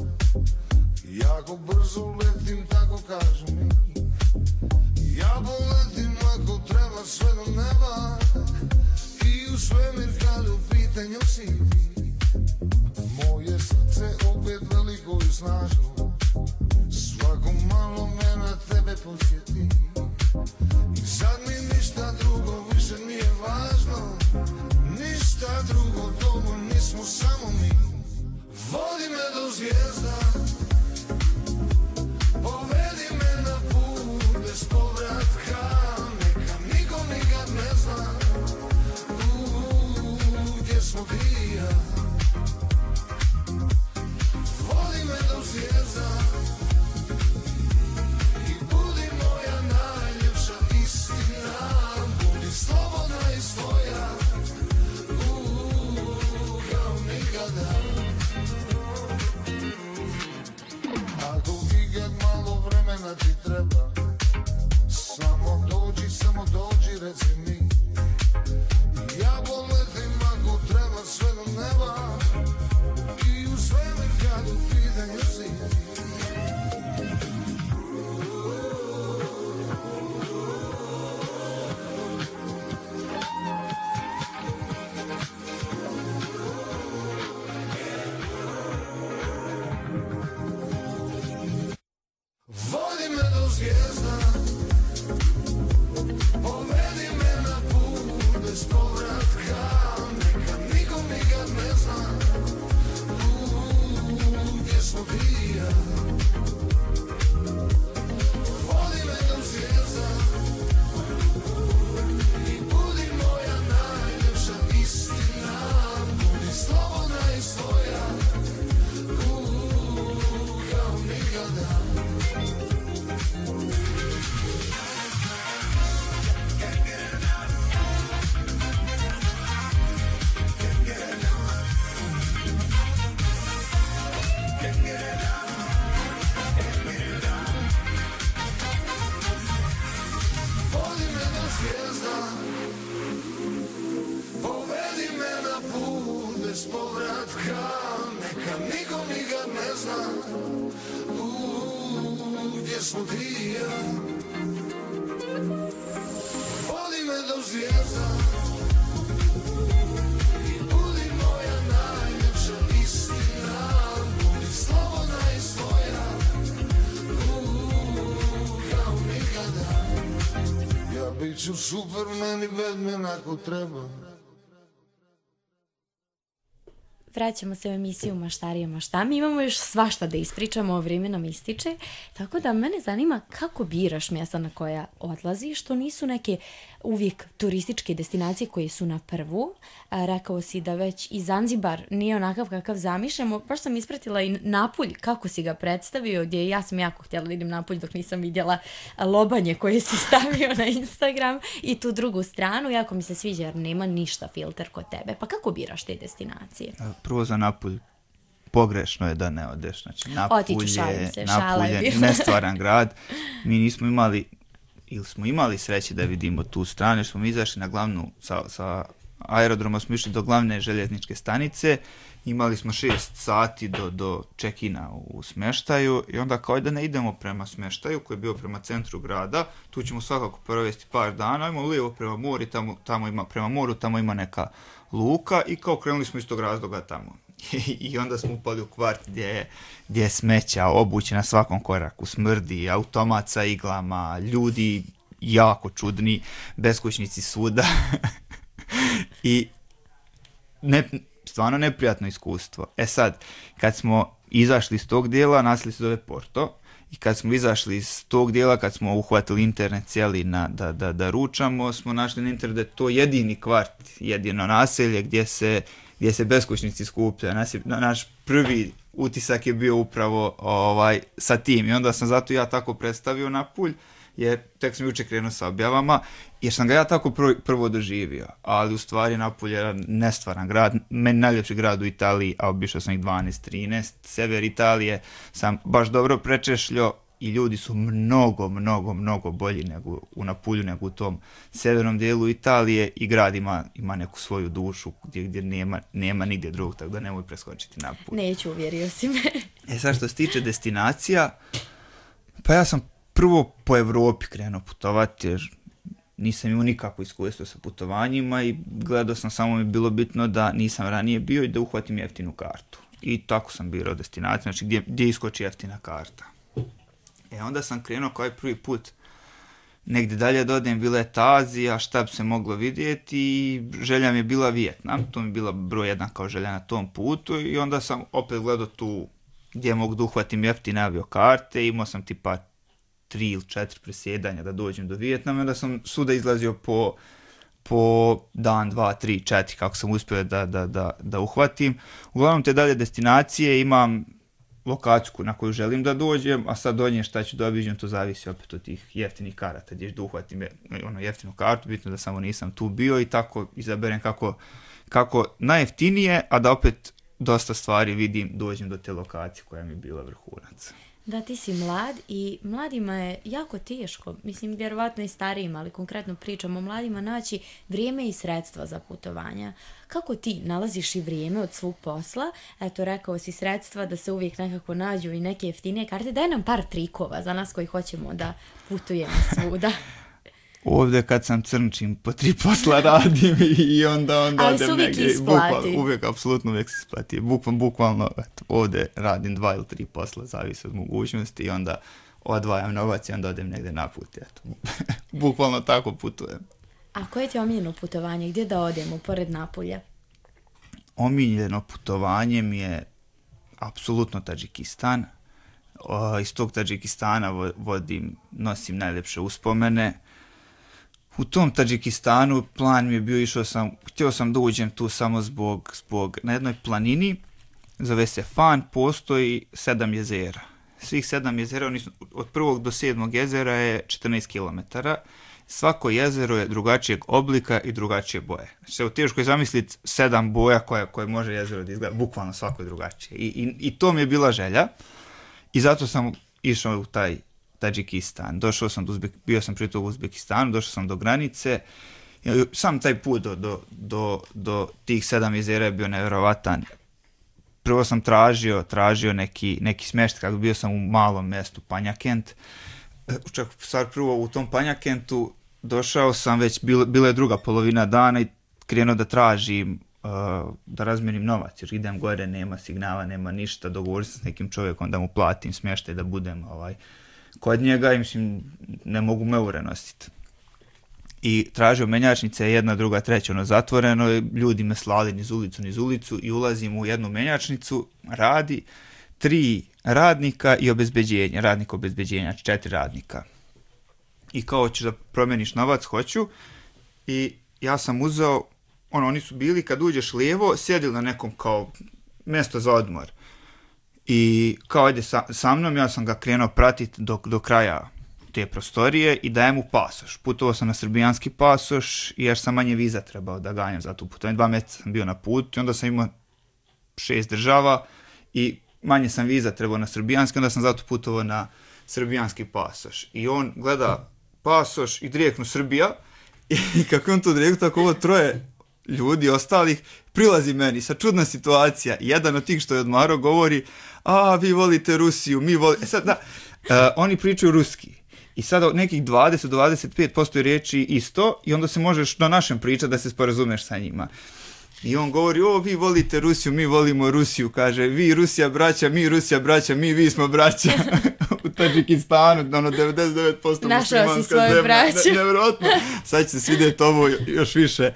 Jako brzo letim, tako kažu mi. Ja poletim ako treba sve do neba. I u svemir kad u pitanju si ti. Moje srce opet veliko i snažno. Svako malo me na tebe posjeti. I sad mi ništa drugo više nije važno. Ništa drugo, dobro, nismo samo mi. Vodi me do zvijezda. Povedi me na put bez povratka. Neka niko nikad ne zna Uuu, gdje smo ti i ja. Vodi me do zvijezda. I budi moja najljepša istina. Budi slobodna i svoja. Uuu, kao nikada. Ako ikad malo vremena ti treba, samo dođi, samo dođi, reci mi. Ja poletim ako treba sve do neba. I u svemir kad u pitanju si. Vodi me do zvijezda. Povedi me na put bez povratka. Neka nikom nikad ne zna Uuu, gdje smo ti i ja. Vodi me do zvijezda. I budi moja najljepša istina. Budi slobodna i svoja. Uuu, kao nikada. Vodi me do zvijezda. Povedi me na put bez povratka. Neka niko nikad ne zna Uuu, gdje smo ti i ja. Vodi me do zvijezda. I budi moja najljepša istina. Budi slobodna i svoja. Uuu, kao nikada. Ja bit ću Superman i Batman ako treba. Vraćamo se u emisiju Maštarije mašta. Mi imamo još svašta da ispričamo, vrijeme nam ističe. Tako da mene zanima kako biraš mjesta na koja odlaziš. To nisu neke uvijek turističke destinacije koje su na prvu. A, rekao si da već i Zanzibar nije onakav kakav zamišljamo. Baš sam ispratila i Napulj, kako si ga predstavio, gdje ja sam jako htjela da idem Napulj dok nisam vidjela lobanje koje si stavio na Instagram i tu drugu stranu. Jako mi se sviđa jer nema ništa filter kod tebe. Pa kako biraš te destinacije? Prvo za Napulj, pogrešno je da ne odeš. Znači, Napulj Otiću, šalim se, je, šala Napulj je je bila. nestvaran grad. Mi nismo imali, ili smo imali sreće da vidimo tu stranu, jer smo mi izašli na glavnu, sa, sa aerodroma smo išli do glavne željezničke stanice, imali smo šest sati do, do check-ina u smještaju i onda kao da ne idemo prema smještaju koji je bio prema centru grada, tu ćemo svakako provesti par dana, ajmo lijevo prema moru, tamo, tamo ima, prema moru, tamo ima neka luka i kao krenuli smo iz tog razloga tamo. I onda smo upali u kvart gdje je, gdje je smeća, obuće na svakom koraku, smrdi, automat sa iglama, ljudi jako čudni, beskućnici svuda. I ne, stvarno neprijatno iskustvo. E sad, kad smo izašli iz tog dijela, naselje se zove Porto, i kad smo izašli iz tog dijela, kad smo uhvatili internet cijeli na, da, da, da ručamo, smo našli na internetu da je to jedini kvart, jedino naselje gdje se, gdje se beskućnici skupljaju. Naš, naš prvi utisak je bio upravo ovaj, sa tim i onda sam zato ja tako predstavio Napulj, jer tek sam jučer krenuo sa objavama, jer sam ga ja tako prvo, prvo doživio, ali u stvari Napulj je nestvaran grad, meni najljepši grad u Italiji, a obišao sam ih dvanaest trinaest, sever Italije sam baš dobro prečešljio, i ljudi su mnogo, mnogo, mnogo bolji nego u Napulju, nego u tom severnom dijelu Italije i grad ima, ima neku svoju dušu gdje, gdje nema, nema nigdje drugog, tako da nemoj preskočiti Napulj. Neću, uvjerio si me. E sad što se tiče destinacija, pa ja sam prvo po Europi krenuo putovati jer nisam imao nikakvo iskustvo sa putovanjima i gledao sam, samo mi je bilo bitno da nisam ranije bio i da uhvatim jeftinu kartu. I tako sam birao destinaciju, znači gdje, gdje iskoči jeftina karta. E onda sam krenuo kao prvi put negdje dalje da odem, bila je ta Azija, šta bi se moglo vidjeti i želja mi je bila Vijetnam, to mi je bila broj jedan kao želja na tom putu i onda sam opet gledao tu gdje mogu da uhvatim jeftine aviokarte, imao sam tipa tri ili četiri presjedanja da dođem do Vijetnama, onda sam svuda izlazio po, po dan, dva, tri, četiri, kako sam uspio da, da, da, da uhvatim. Uglavnom te dalje destinacije imam lokaciju na koju želim da dođem, a sad donje šta ću da obiđem, to zavisi opet od tih jeftinih karata, gdje ću da uhvatim ono jeftinu kartu, bitno da samo nisam tu bio i tako izaberem kako, kako najjeftinije, a da opet dosta stvari vidim, dođem do te lokacije koja mi je bila vrhunac. Da, ti si mlad i mladima je jako teško, mislim vjerovatno i starijima, ali konkretno pričamo o mladima, naći vrijeme i sredstva za putovanja. Kako ti nalaziš i vrijeme od svog posla? Eto, rekao si sredstva da se uvijek nekako nađu i neke jeftinije karte. Daj nam par trikova za nas koji hoćemo da putujemo svuda. Ovdje kad sam crnčim, po tri posla radim i onda, onda ali odem uvijek negdje. Isplati. Bukval, uvijek, apsolutno uvijek se isplati. Bukvalno, bukvalno eto, ovdje radim dva ili tri posla, zavisi od mogućnosti i onda odvajam novac i onda odem negdje na put. Eto. Bukvalno tako putujem. A koje ti je omiljeno putovanje? Gdje da odemo pored Napulja? Omiljeno putovanje mi je apsolutno Tadžikistan. O, iz tog Tadžikistana vodim, nosim najljepše uspomene. U tom Tadžikistanu plan mi je bio, išao sam, htio sam da uđem tu samo zbog, zbog na jednoj planini, zove se Fan, postoji sedam jezera. Svih sedam jezera, oni su, od prvog do sedmog jezera je četrnaest kilometara. Svako jezero je drugačijeg oblika i drugačije boje. Znači, teško je zamisliti sedam boja koje, koje može jezero da izgleda, bukvalno svako je drugačije. I, i, i to mi je bila želja i zato sam išao u taj Tadžikistan. Došao sam do Uzbek, bio sam prije toga u Uzbekistanu, došao sam do granice. Sam taj put do, do, do, do tih sedam jezera je bio nevjerovatan. Prvo sam tražio, tražio neki, neki smještaj, kako bio sam u malom mjestu Panjakent. Čak stvar prvo u tom Panjakentu došao sam već, bila, bila je druga polovina dana i krenuo da tražim, uh, da razmjerim novac, jer idem gore, nema signala, nema ništa, dogovorim se s nekim čovjekom da mu platim smještaj, da budem ovaj, kod njega i mislim, ne mogu me eure nositi. I tražio menjačnice, jedna, druga, treća, ono zatvoreno, ljudi me slali niz ulicu, niz ulicu i ulazim u jednu menjačnicu, radi, tri radnika i obezbeđenje, radnik obezbeđenja, četiri radnika. I kao, hoćeš da promjeniš novac, hoću. I ja sam uzeo, ono, oni su bili, kad uđeš lijevo, sjedili na nekom kao mjesto za odmor. I kao, ajde sa, sa mnom, ja sam ga krenuo pratiti do, do kraja te prostorije i dajem mu pasoš. Putovao sam na srbijanski pasoš jer sam manje viza trebao da ganjam za tu putovanje. Dva mjeseca sam bio na putu i onda sam imao šest država i manje sam viza trebao na srbijanski, onda sam zato putovao na srbijanski pasoš. I on gleda pasoš i direktno Srbija i kako on to direktno, tako ovo troje ljudi ostalih prilazi meni, sa čudna situacija. Jedan od tih što je odmarao govori, a vi volite Rusiju, mi volite... E sad, da, uh, oni pričaju ruski. I sada nekih dvadeset do dvadeset pet posto riječi isto i onda se možeš na našem pričati da se sporazumeš sa njima. I on govori, o, vi volite Rusiju, mi volimo Rusiju, kaže, vi Rusija braća, mi Rusija braća, mi, vi smo braća. U Tadžikistanu, ono, devedeset devet posto muslimanska zemlja. Ne, nevjerojatno. Sad će se svidjeti ovo još više.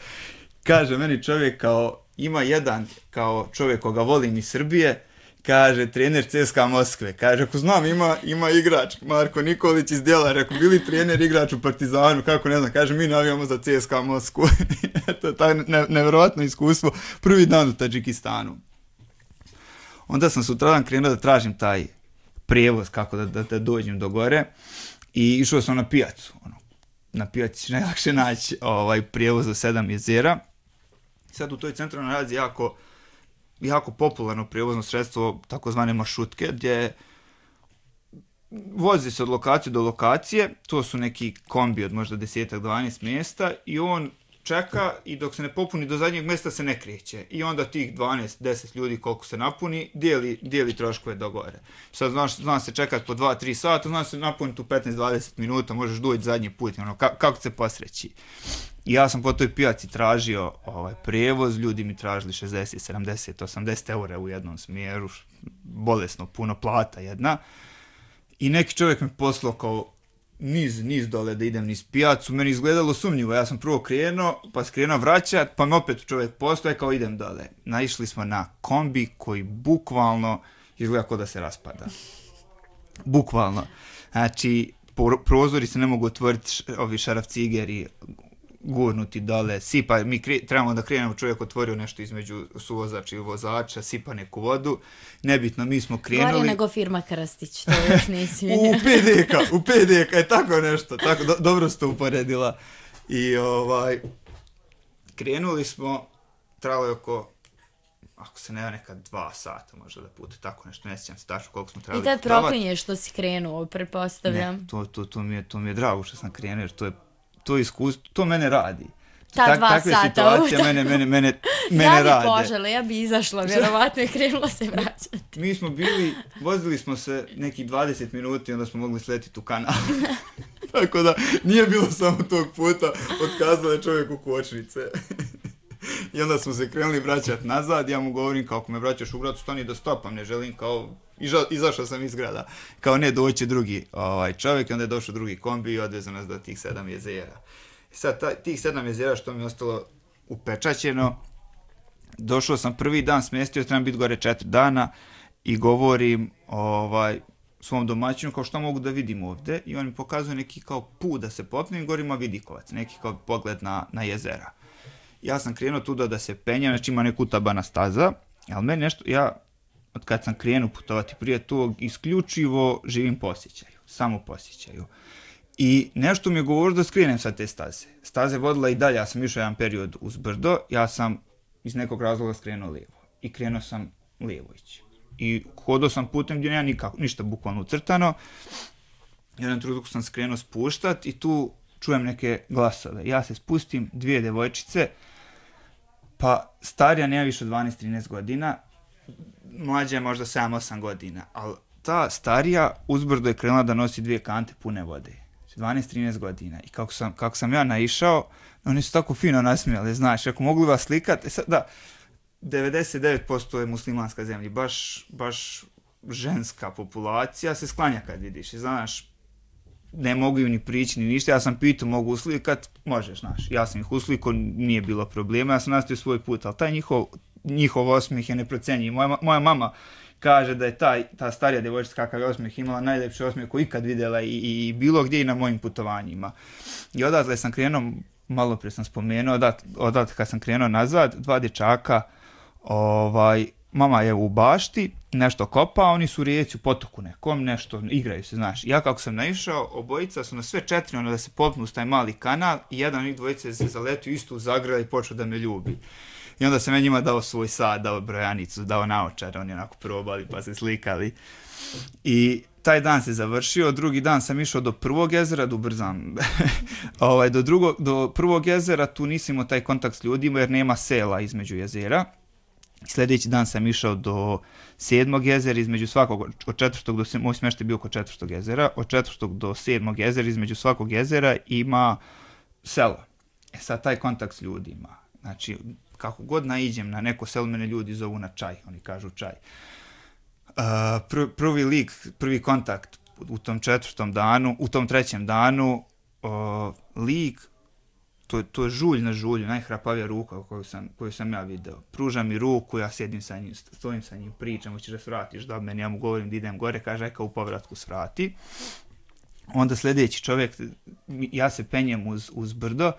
Kaže meni čovjek kao, ima jedan kao čovjek koga volim iz Srbije, kaže, trener C S K A Moskve. Kaže, ako znam, ima, ima igrač, Marko Nikolić iz Djela, rekao, bili trener, igrač u Partizanu, kako ne znam, kaže, mi navijamo za C S K A Moskvu. Eto, taj ne, nevjerojatno iskustvo, prvi dan u Tadžikistanu. Onda sam sutradan krenuo da tražim taj prijevoz, kako da, da, da dođem do gore, i išao sam na pijacu. Ono, na pijaci će najlakše naći ovaj, prijevoz do sedam jezera. Sad u toj centralnoj Aziji jako jako popularno prijevozno sredstvo, takozvane maršrutke, gdje vozi se od lokacije do lokacije, to su neki kombi od možda deset do dvanaest mjesta i on čeka i dok se ne popuni do zadnjeg mjesta se ne kreće. I onda tih dvanaest do deset ljudi koliko se napuni, dijeli, dijeli troškove do gore. Sad znaš, zna se čekati po dva do tri sata, zna se napuniti u petnaest do dvadeset minuta, možeš doći zadnji put, ono, ka, kako se posreći. I ja sam po toj pijaci tražio ovaj, prevoz, ljudi mi tražili šezdeset, sedamdeset, osamdeset eura u jednom smjeru, bolesno, puno plata jedna. I neki čovjek mi poslao kao niz, niz dole da idem niz pijacu, meni izgledalo sumnjivo, ja sam prvo krenuo, pa skrenuo vraćat, pa mi opet čovjek postoje kao idem dole. Naišli smo na kombi koji bukvalno izgleda kao da se raspada. Bukvalno. Znači, prozori se ne mogu otvoriti, ovi šarafcigeri gurnuti dole, sipa, mi kre, trebamo da krenemo, čovjek otvorio nešto između suvozača i vozača, sipa neku vodu, nebitno, mi smo krenuli. Gore nego firma Krstić, to još nisi U P D K, u P D K je tako nešto, tako, do, dobro ste uporedila. I ovaj, krenuli smo, trebalo je oko, ako se ne neka dva sata možda da pute, tako nešto, ne sjećam se tačno koliko smo trebali. I tad proklinješ što si krenuo, pretpostavljam. Ne, to, to, to, mi je, to mi je drago što sam krenuo, jer to je to iskustvo, to mene radi. Ta Tak, dva takve sata. situacije mene, mene, mene, mene ja rade. bi požela, ja bi izašla, vjerovatno je krenula se vraćati. Mi smo bili, vozili smo se nekih dvadeset minuta i onda smo mogli sletiti u kanal. Tako da nije bilo samo tog puta, otkazala je čovjek u kočnice. I onda smo se krenuli vraćati nazad, ja mu govorim kao ako me vraćaš u grad, stani da stopam, ne želim kao, iža, izašao sam iz grada, kao ne doći drugi ovaj, čovjek i onda je došao drugi kombi i odvezao nas do tih sedam jezera. I sad ta, tih sedam jezera što mi je ostalo upečaćeno, došao sam prvi dan, smjestio, trebam biti gore četiri dana i govorim ovaj, svom domaćinu kao što mogu da vidim ovdje i on mi pokazuje neki kao put da se popnem i govorim, a Vidikovac, neki kao pogled na, na jezera. Ja sam krenuo tuda da se penjem, znači ima neku utabana staza, ali meni nešto, ja od kad sam krenuo putovati prije tog, isključivo živim po osjećaju, samo po osjećaju. I nešto mi je govorio da skrenem sa te staze. Staze vodila i dalje, ja sam išao jedan period uz brdo, ja sam iz nekog razloga skrenuo lijevo. I krenuo sam lijevo ići. I hodao sam putem gdje nema nikako, ništa bukvalno ucrtano. Jedan trenutku sam skrenuo spuštat i tu čujem neke glasove. Ja se spustim, dvije devojčice, pa starija nema više od dvanaest trinaest godina, mlađa je možda sedam osam godina, ali ta starija uzbrdo je krenula da nosi dvije kante pune vode. dvanaest trinaest godina. I kako sam, kako sam ja naišao, oni su tako fino nasmijali, znaš, ako mogli vas slikati, e sad, da, devedeset devet posto je muslimanska zemlja, baš, baš ženska populacija se sklanja kad vidiš, i znaš, ne mogu ni prići ni ništa, ja sam pitao mogu uslikat, možeš, znaš, ja sam ih uslikao, nije bilo problema, ja sam nastavio svoj put, ali taj njihov, njihov osmijeh je neprocenjiv. Moja, moja mama kaže da je taj, ta starija djevojčica kakav je osmijeh imala najljepši osmijeh koji ikad vidjela i, i, i bilo gdje i na mojim putovanjima. I odatle sam krenuo, malo prije sam spomenuo, odat, odatle kad sam krenuo nazad, dva dječaka, ovaj, mama je u bašti, nešto kopa, oni su u rijeci u potoku nekom, nešto, igraju se, znaš. Ja kako sam naišao, obojica su na sve četiri, ono da se popnu uz taj mali kanal i jedan od njih dvojice se zaletio isto u zagrada i počeo da me ljubi. I onda sam ja njima dao svoj sad, dao brojanicu, dao naočare, oni onako probali pa se slikali. I taj dan se završio, drugi dan sam išao do prvog jezera, da ubrzam, ovaj, do, drugog, do prvog jezera tu nisam imao taj kontakt s ljudima jer nema sela između jezera. Sljedeći dan sam išao do sedmog jezera, između svakog, od četvrtog do sedmog, moj smještaj bio oko četvrtog jezera, od četvrtog do sedmog jezera, između svakog jezera ima selo. E sad taj kontakt s ljudima, znači kako god naiđem na neko selo, mene ljudi zovu na čaj, oni kažu čaj. Uh, pr- prvi lik, prvi kontakt u tom četvrtom danu, u tom trećem danu, uh, lik, to, to je žulj na žulju, najhrapavija ruka koju sam, koju sam ja video. Pruža mi ruku, ja sjedim sa njim, stojim sa njim, pričam, hoćeš da svratiš da meni, ja mu govorim da idem gore, kaže, aj kao u povratku svrati. Onda sljedeći čovjek, ja se penjem uz, uz brdo,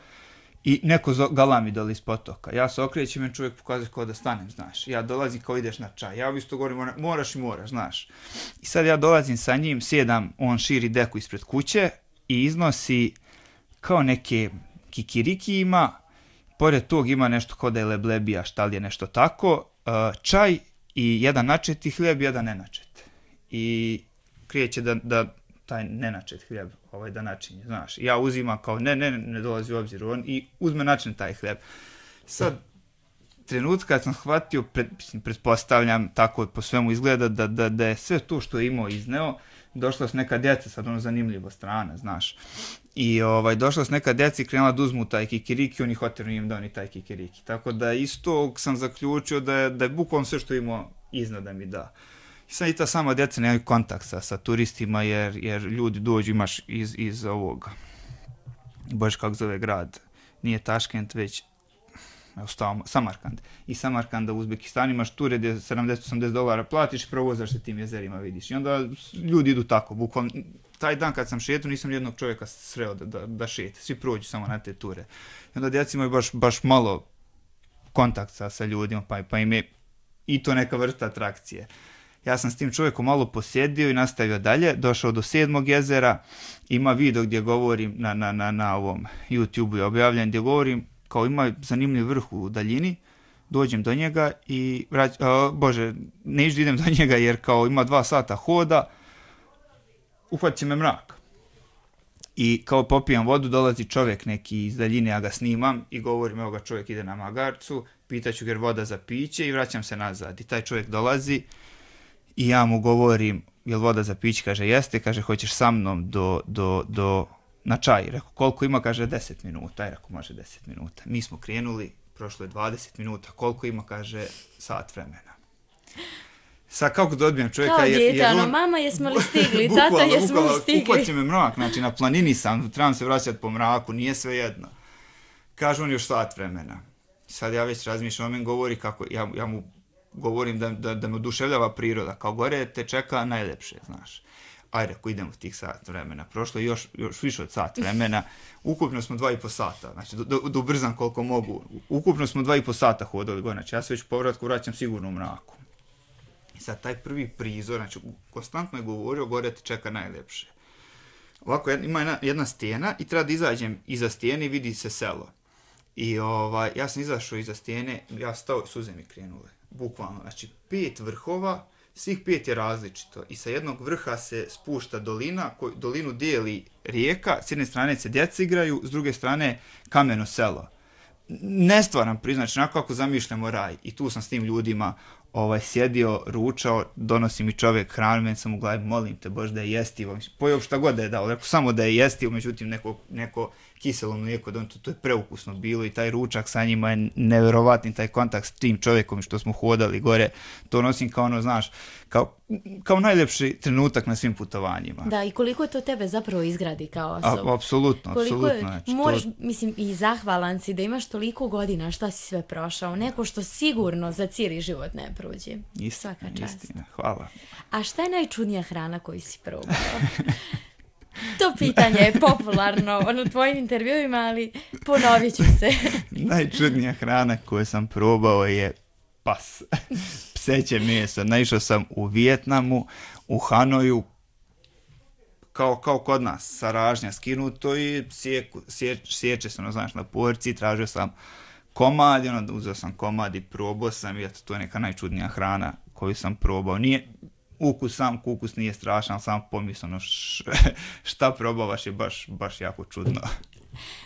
i neko galami dole iz potoka. Ja se okrećem i čovjek pokazuje kao da stanem, znaš. Ja dolazim kao ideš na čaj. Ja isto govorim, moraš i moraš, znaš. I sad ja dolazim sa njim, sjedam, on širi deku ispred kuće i iznosi kao neke kikiriki ima, pored tog ima nešto kao da je leblebija, šta li je nešto tako, čaj i jedan načeti hljeb, jedan nenačet. I kreće da, da taj nenačet hljeb ovaj, da načinje, znaš. Ja uzimam kao, ne, ne, ne dolazi u obzir on i uzme način taj hljeb. Sad, trenutka kad sam shvatio, pred, pretpostavljam, tako po svemu izgleda, da, da, da je sve to što je imao izneo, došla s neka djeca, sad ono zanimljiva strana, znaš. I ovaj, došla s neka djeca i krenula da uzmu taj kikiriki, oni hoteli im da oni taj kikiriki. Tako da isto sam zaključio da je, da je bukvalno sve što je imao izneo da mi da. I sad i ta sama djeca nemaju kontakt sa, sa turistima jer, jer ljudi dođu, imaš iz, iz ovog, bože kako zove grad, nije Taškent, već Ostao, Samarkand. I Samarkanda u Uzbekistanu imaš ture gdje sedamdeset do osamdeset dolara platiš i provozaš se tim jezerima, vidiš. I onda ljudi idu tako, bukvalno. Taj dan kad sam šetao nisam nijednog čovjeka sreo da, da, da šete. Svi prođu samo na te ture. I onda djeca imaju baš, baš malo kontakt sa, sa ljudima, pa, pa im je i to neka vrsta atrakcije. Ja sam s tim čovjekom malo posjedio i nastavio dalje, došao do sedmog jezera, ima video gdje govorim na, na, na, na ovom YouTube-u je objavljen, gdje govorim kao ima zanimljiv vrh u daljini, dođem do njega i, vrać, uh, bože, ne išću idem do njega jer kao ima dva sata hoda, uhvatit će me mrak. I kao popijam vodu, dolazi čovjek neki iz daljine, ja ga snimam i govorim, evo ga čovjek ide na magarcu, pitaću ga voda za piće i vraćam se nazad. I taj čovjek dolazi i ja mu govorim, jel voda za piće? Kaže, jeste, kaže, hoćeš sa mnom do, do, do, na čaj. Rekao, koliko ima? Kaže, deset minuta. I rekao, može deset minuta. Mi smo krenuli, prošlo je dvadeset minuta. Koliko ima? Kaže, sat vremena. Sad kako da odbijem čovjeka? Kao jer, djete, jer ono, on, mama jesmo li stigli, tata jesmo li stigli. Uhvaće me mrak, znači na planini sam, trebam se vraćati po mraku, nije sve jedno. Kaže on još sat vremena. Sad ja već razmišljam, on mi govori kako, ja, ja mu govorim da, da, da me oduševljava priroda, kao gore te čeka najljepše, znaš. Ajde, ako idemo tih sat vremena. Prošlo je još, još više od sat vremena. Ukupno smo dva i po sata. Znači, da, da ubrzam koliko mogu. Ukupno smo dva i po sata hodali gore. Znači, ja se već povratku vraćam sigurno u mraku. I sad, taj prvi prizor, znači, konstantno je govorio, gore te čeka najljepše. Ovako, ima jedna, jedna stijena i treba da izađem iza stijene i vidi se selo. I ovaj, ja sam izašao iza stijene, ja stao, suze mi krenule. Bukvalno, znači, pet vrhova, svih pet je različito i sa jednog vrha se spušta dolina, koju dolinu dijeli rijeka, s jedne strane se djeca igraju, s druge strane kameno selo. Nestvaran priznač, onako kako zamišljamo raj. I tu sam s tim ljudima ovaj, sjedio, ručao, donosi mi čovjek hranu, meni sam u glavi, molim te Bože da je jestivo. Pojeo šta god da je dao, rekao samo da je jestivo, međutim neko, neko kiselo mlijeko, to, to je preukusno bilo i taj ručak sa njima je nevjerovatni, taj kontakt s tim čovjekom što smo hodali gore, to nosim kao ono, znaš, kao, kao najljepši trenutak na svim putovanjima. Da, i koliko to tebe zapravo izgradi kao osoba. Apsolutno, apsolutno. Je, znači, možeš, to... mislim, i zahvalan si da imaš toliko godina šta si sve prošao, neko što sigurno za cijeli život ne prođe. Istina, svaka čast. istina, hvala. A šta je najčudnija hrana koju si probao? To pitanje je popularno u tvojim intervjuima, ali ponovit ću se. Najčudnija hrana koju sam probao je pas. Pseće meso. Naišao sam u Vijetnamu, u Hanoju, kao, kao kod nas, sa ražnja skinuto i sjeku, sje, sječe se, ono, znaš, na porci, tražio sam komad, i onda uzeo sam komad i probao sam i eto, to je neka najčudnija hrana koju sam probao. Nije, ukus sam, ukus nije strašan, sam pomisleno šta probavaš je baš, baš jako čudno.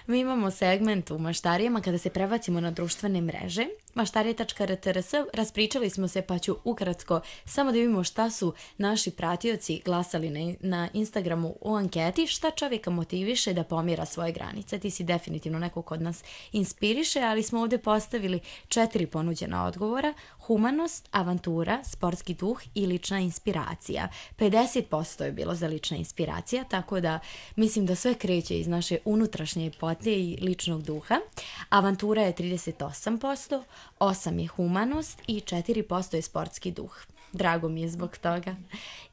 Mi imamo segment u Maštarijama kada se prebacimo na društvene mreže. maštarije tačka r t r s, raspričali smo se pa ću ukratko samo da vidimo šta su naši pratioci glasali na, na Instagramu u anketi, šta čovjeka motiviše da pomjera svoje granice. Ti si definitivno neko kod nas inspiriše, ali smo ovdje postavili četiri ponuđena odgovora: humanost, avantura, sportski duh i lična inspiracija. pedeset posto je bilo za lična inspiracija, tako da mislim da sve kreće iz naše unutrašnje potlje i ličnog duha. Avantura je trideset osam posto, osam je humanost i četiri posto je sportski duh. Drago mi je zbog toga.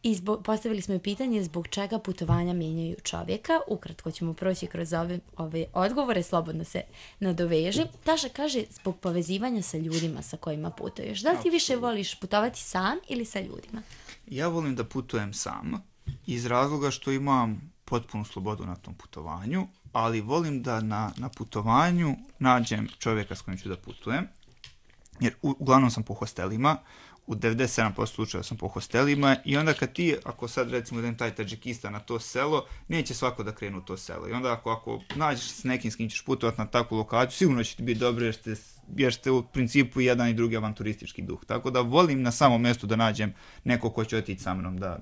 I zbog, postavili smo i pitanje zbog čega putovanja mijenjaju čovjeka. Ukratko ćemo proći kroz ove, ove odgovore, slobodno se nadoveži. Taša kaže zbog povezivanja sa ljudima sa kojima putuješ. Da li ti više voliš putovati sam ili sa ljudima? Ja volim da putujem sam iz razloga što imam potpunu slobodu na tom putovanju, ali volim da na, na putovanju nađem čovjeka s kojim ću da putujem. jer u, uglavnom sam po hostelima, u devedeset sedam posto slučajeva sam po hostelima i onda kad ti, ako sad recimo idem taj Tadžikistan na to selo, neće svako da krenu u to selo. I onda ako, ako nađeš s nekim s kim ćeš putovati na takvu lokaciju, sigurno će ti biti dobro jer ste, jer ste u principu jedan i drugi avanturistički duh. Tako da volim na samom mjestu da nađem neko ko će otići sa mnom da,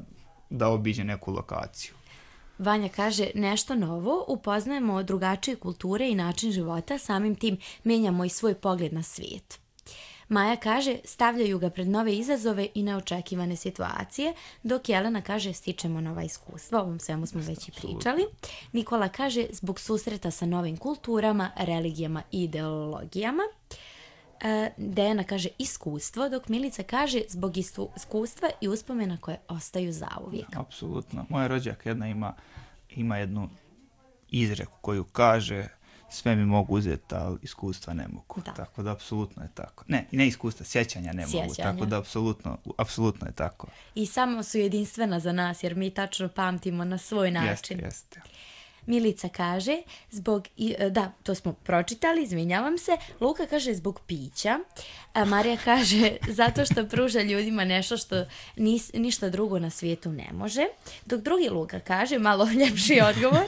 da obiđe neku lokaciju. Vanja kaže nešto novo, upoznajemo drugačije kulture i način života, samim tim menjamo i svoj pogled na svijet. Maja kaže, stavljaju ga pred nove izazove i neočekivane situacije, dok Jelena kaže, stičemo nova iskustva, o ovom svemu smo već i pričali. Nikola kaže, zbog susreta sa novim kulturama, religijama i ideologijama. E, Dejana kaže, iskustvo, dok Milica kaže, zbog iskustva i uspomena koje ostaju zauvijek. Apsolutno. Moja rođaka jedna ima, ima jednu izreku koju kaže, sve mi mogu uzeti, ali iskustva ne mogu. Da. Tako da apsolutno je tako. Ne, ne iskustva, sjećanja ne sjećanja. mogu. Tako da apsolutno, apsolutno je tako. I samo su jedinstvena za nas, jer mi tačno pamtimo na svoj način. Jeste, jeste. Milica kaže, zbog, da, to smo pročitali, izvinjavam se. Luka kaže zbog pića. A Marija kaže zato što pruža ljudima nešto što nis, ništa drugo na svijetu ne može. Dok drugi Luka kaže, malo ljepši odgovor,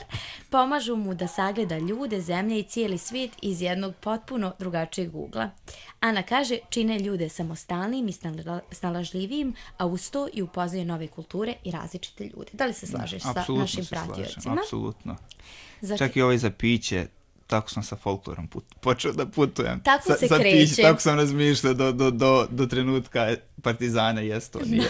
pomažu mu da sagleda ljude, zemlje i cijeli svijet iz jednog potpuno drugačijeg ugla. Ana kaže, čine ljude samostalnim i snalažljivijim, a uz to i upoznaju nove kulture i različite ljude. Da li se slažeš sa našim pratiocima? Apsolutno. Zato... Čak i ovaj za piće, tako sam sa folklorom put, počeo da putujem. Tako sa, se sa kreće. Piće, tako sam razmišljao do, do, do, do trenutka Partizana i Estonije.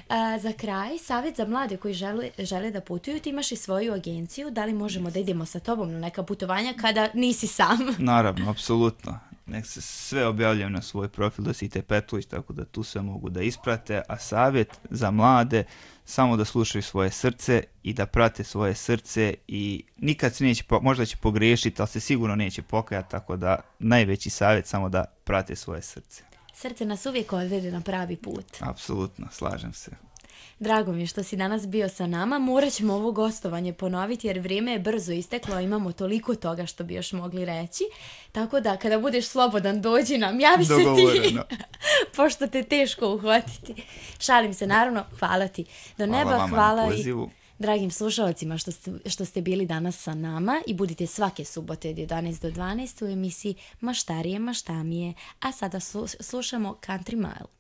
A, za kraj, savjet za mlade koji žele, žele da putuju, ti imaš i svoju agenciju, da li možemo da idemo sa tobom na neka putovanja kada nisi sam? Naravno, apsolutno. Nek se sve objavljaju na svoj profil Dositej Petlović, tako da tu sve mogu da isprate, a savjet za mlade, samo da slušaju svoje srce i da prate svoje srce i nikad se neće, možda će pogriješiti, ali se sigurno neće pokajati, tako da najveći savjet samo da prate svoje srce. Srce nas uvijek odvede na pravi put. Apsolutno, slažem se. Drago mi je što si danas bio sa nama. Morat ćemo ovo gostovanje ponoviti jer vrijeme je brzo isteklo, a imamo toliko toga što bi još mogli reći. Tako da kada budeš slobodan, dođi nam, javi se ti, pošto te teško uhvatiti. Šalim se, naravno, hvala ti. Do hvala neba, vama hvala na pozivu. I dragim slušalcima što ste, što ste bili danas sa nama i budite svake subote od jedanaest do dvanaest u emisiji Maštarije, maštamije. A sada slušamo Country Mile.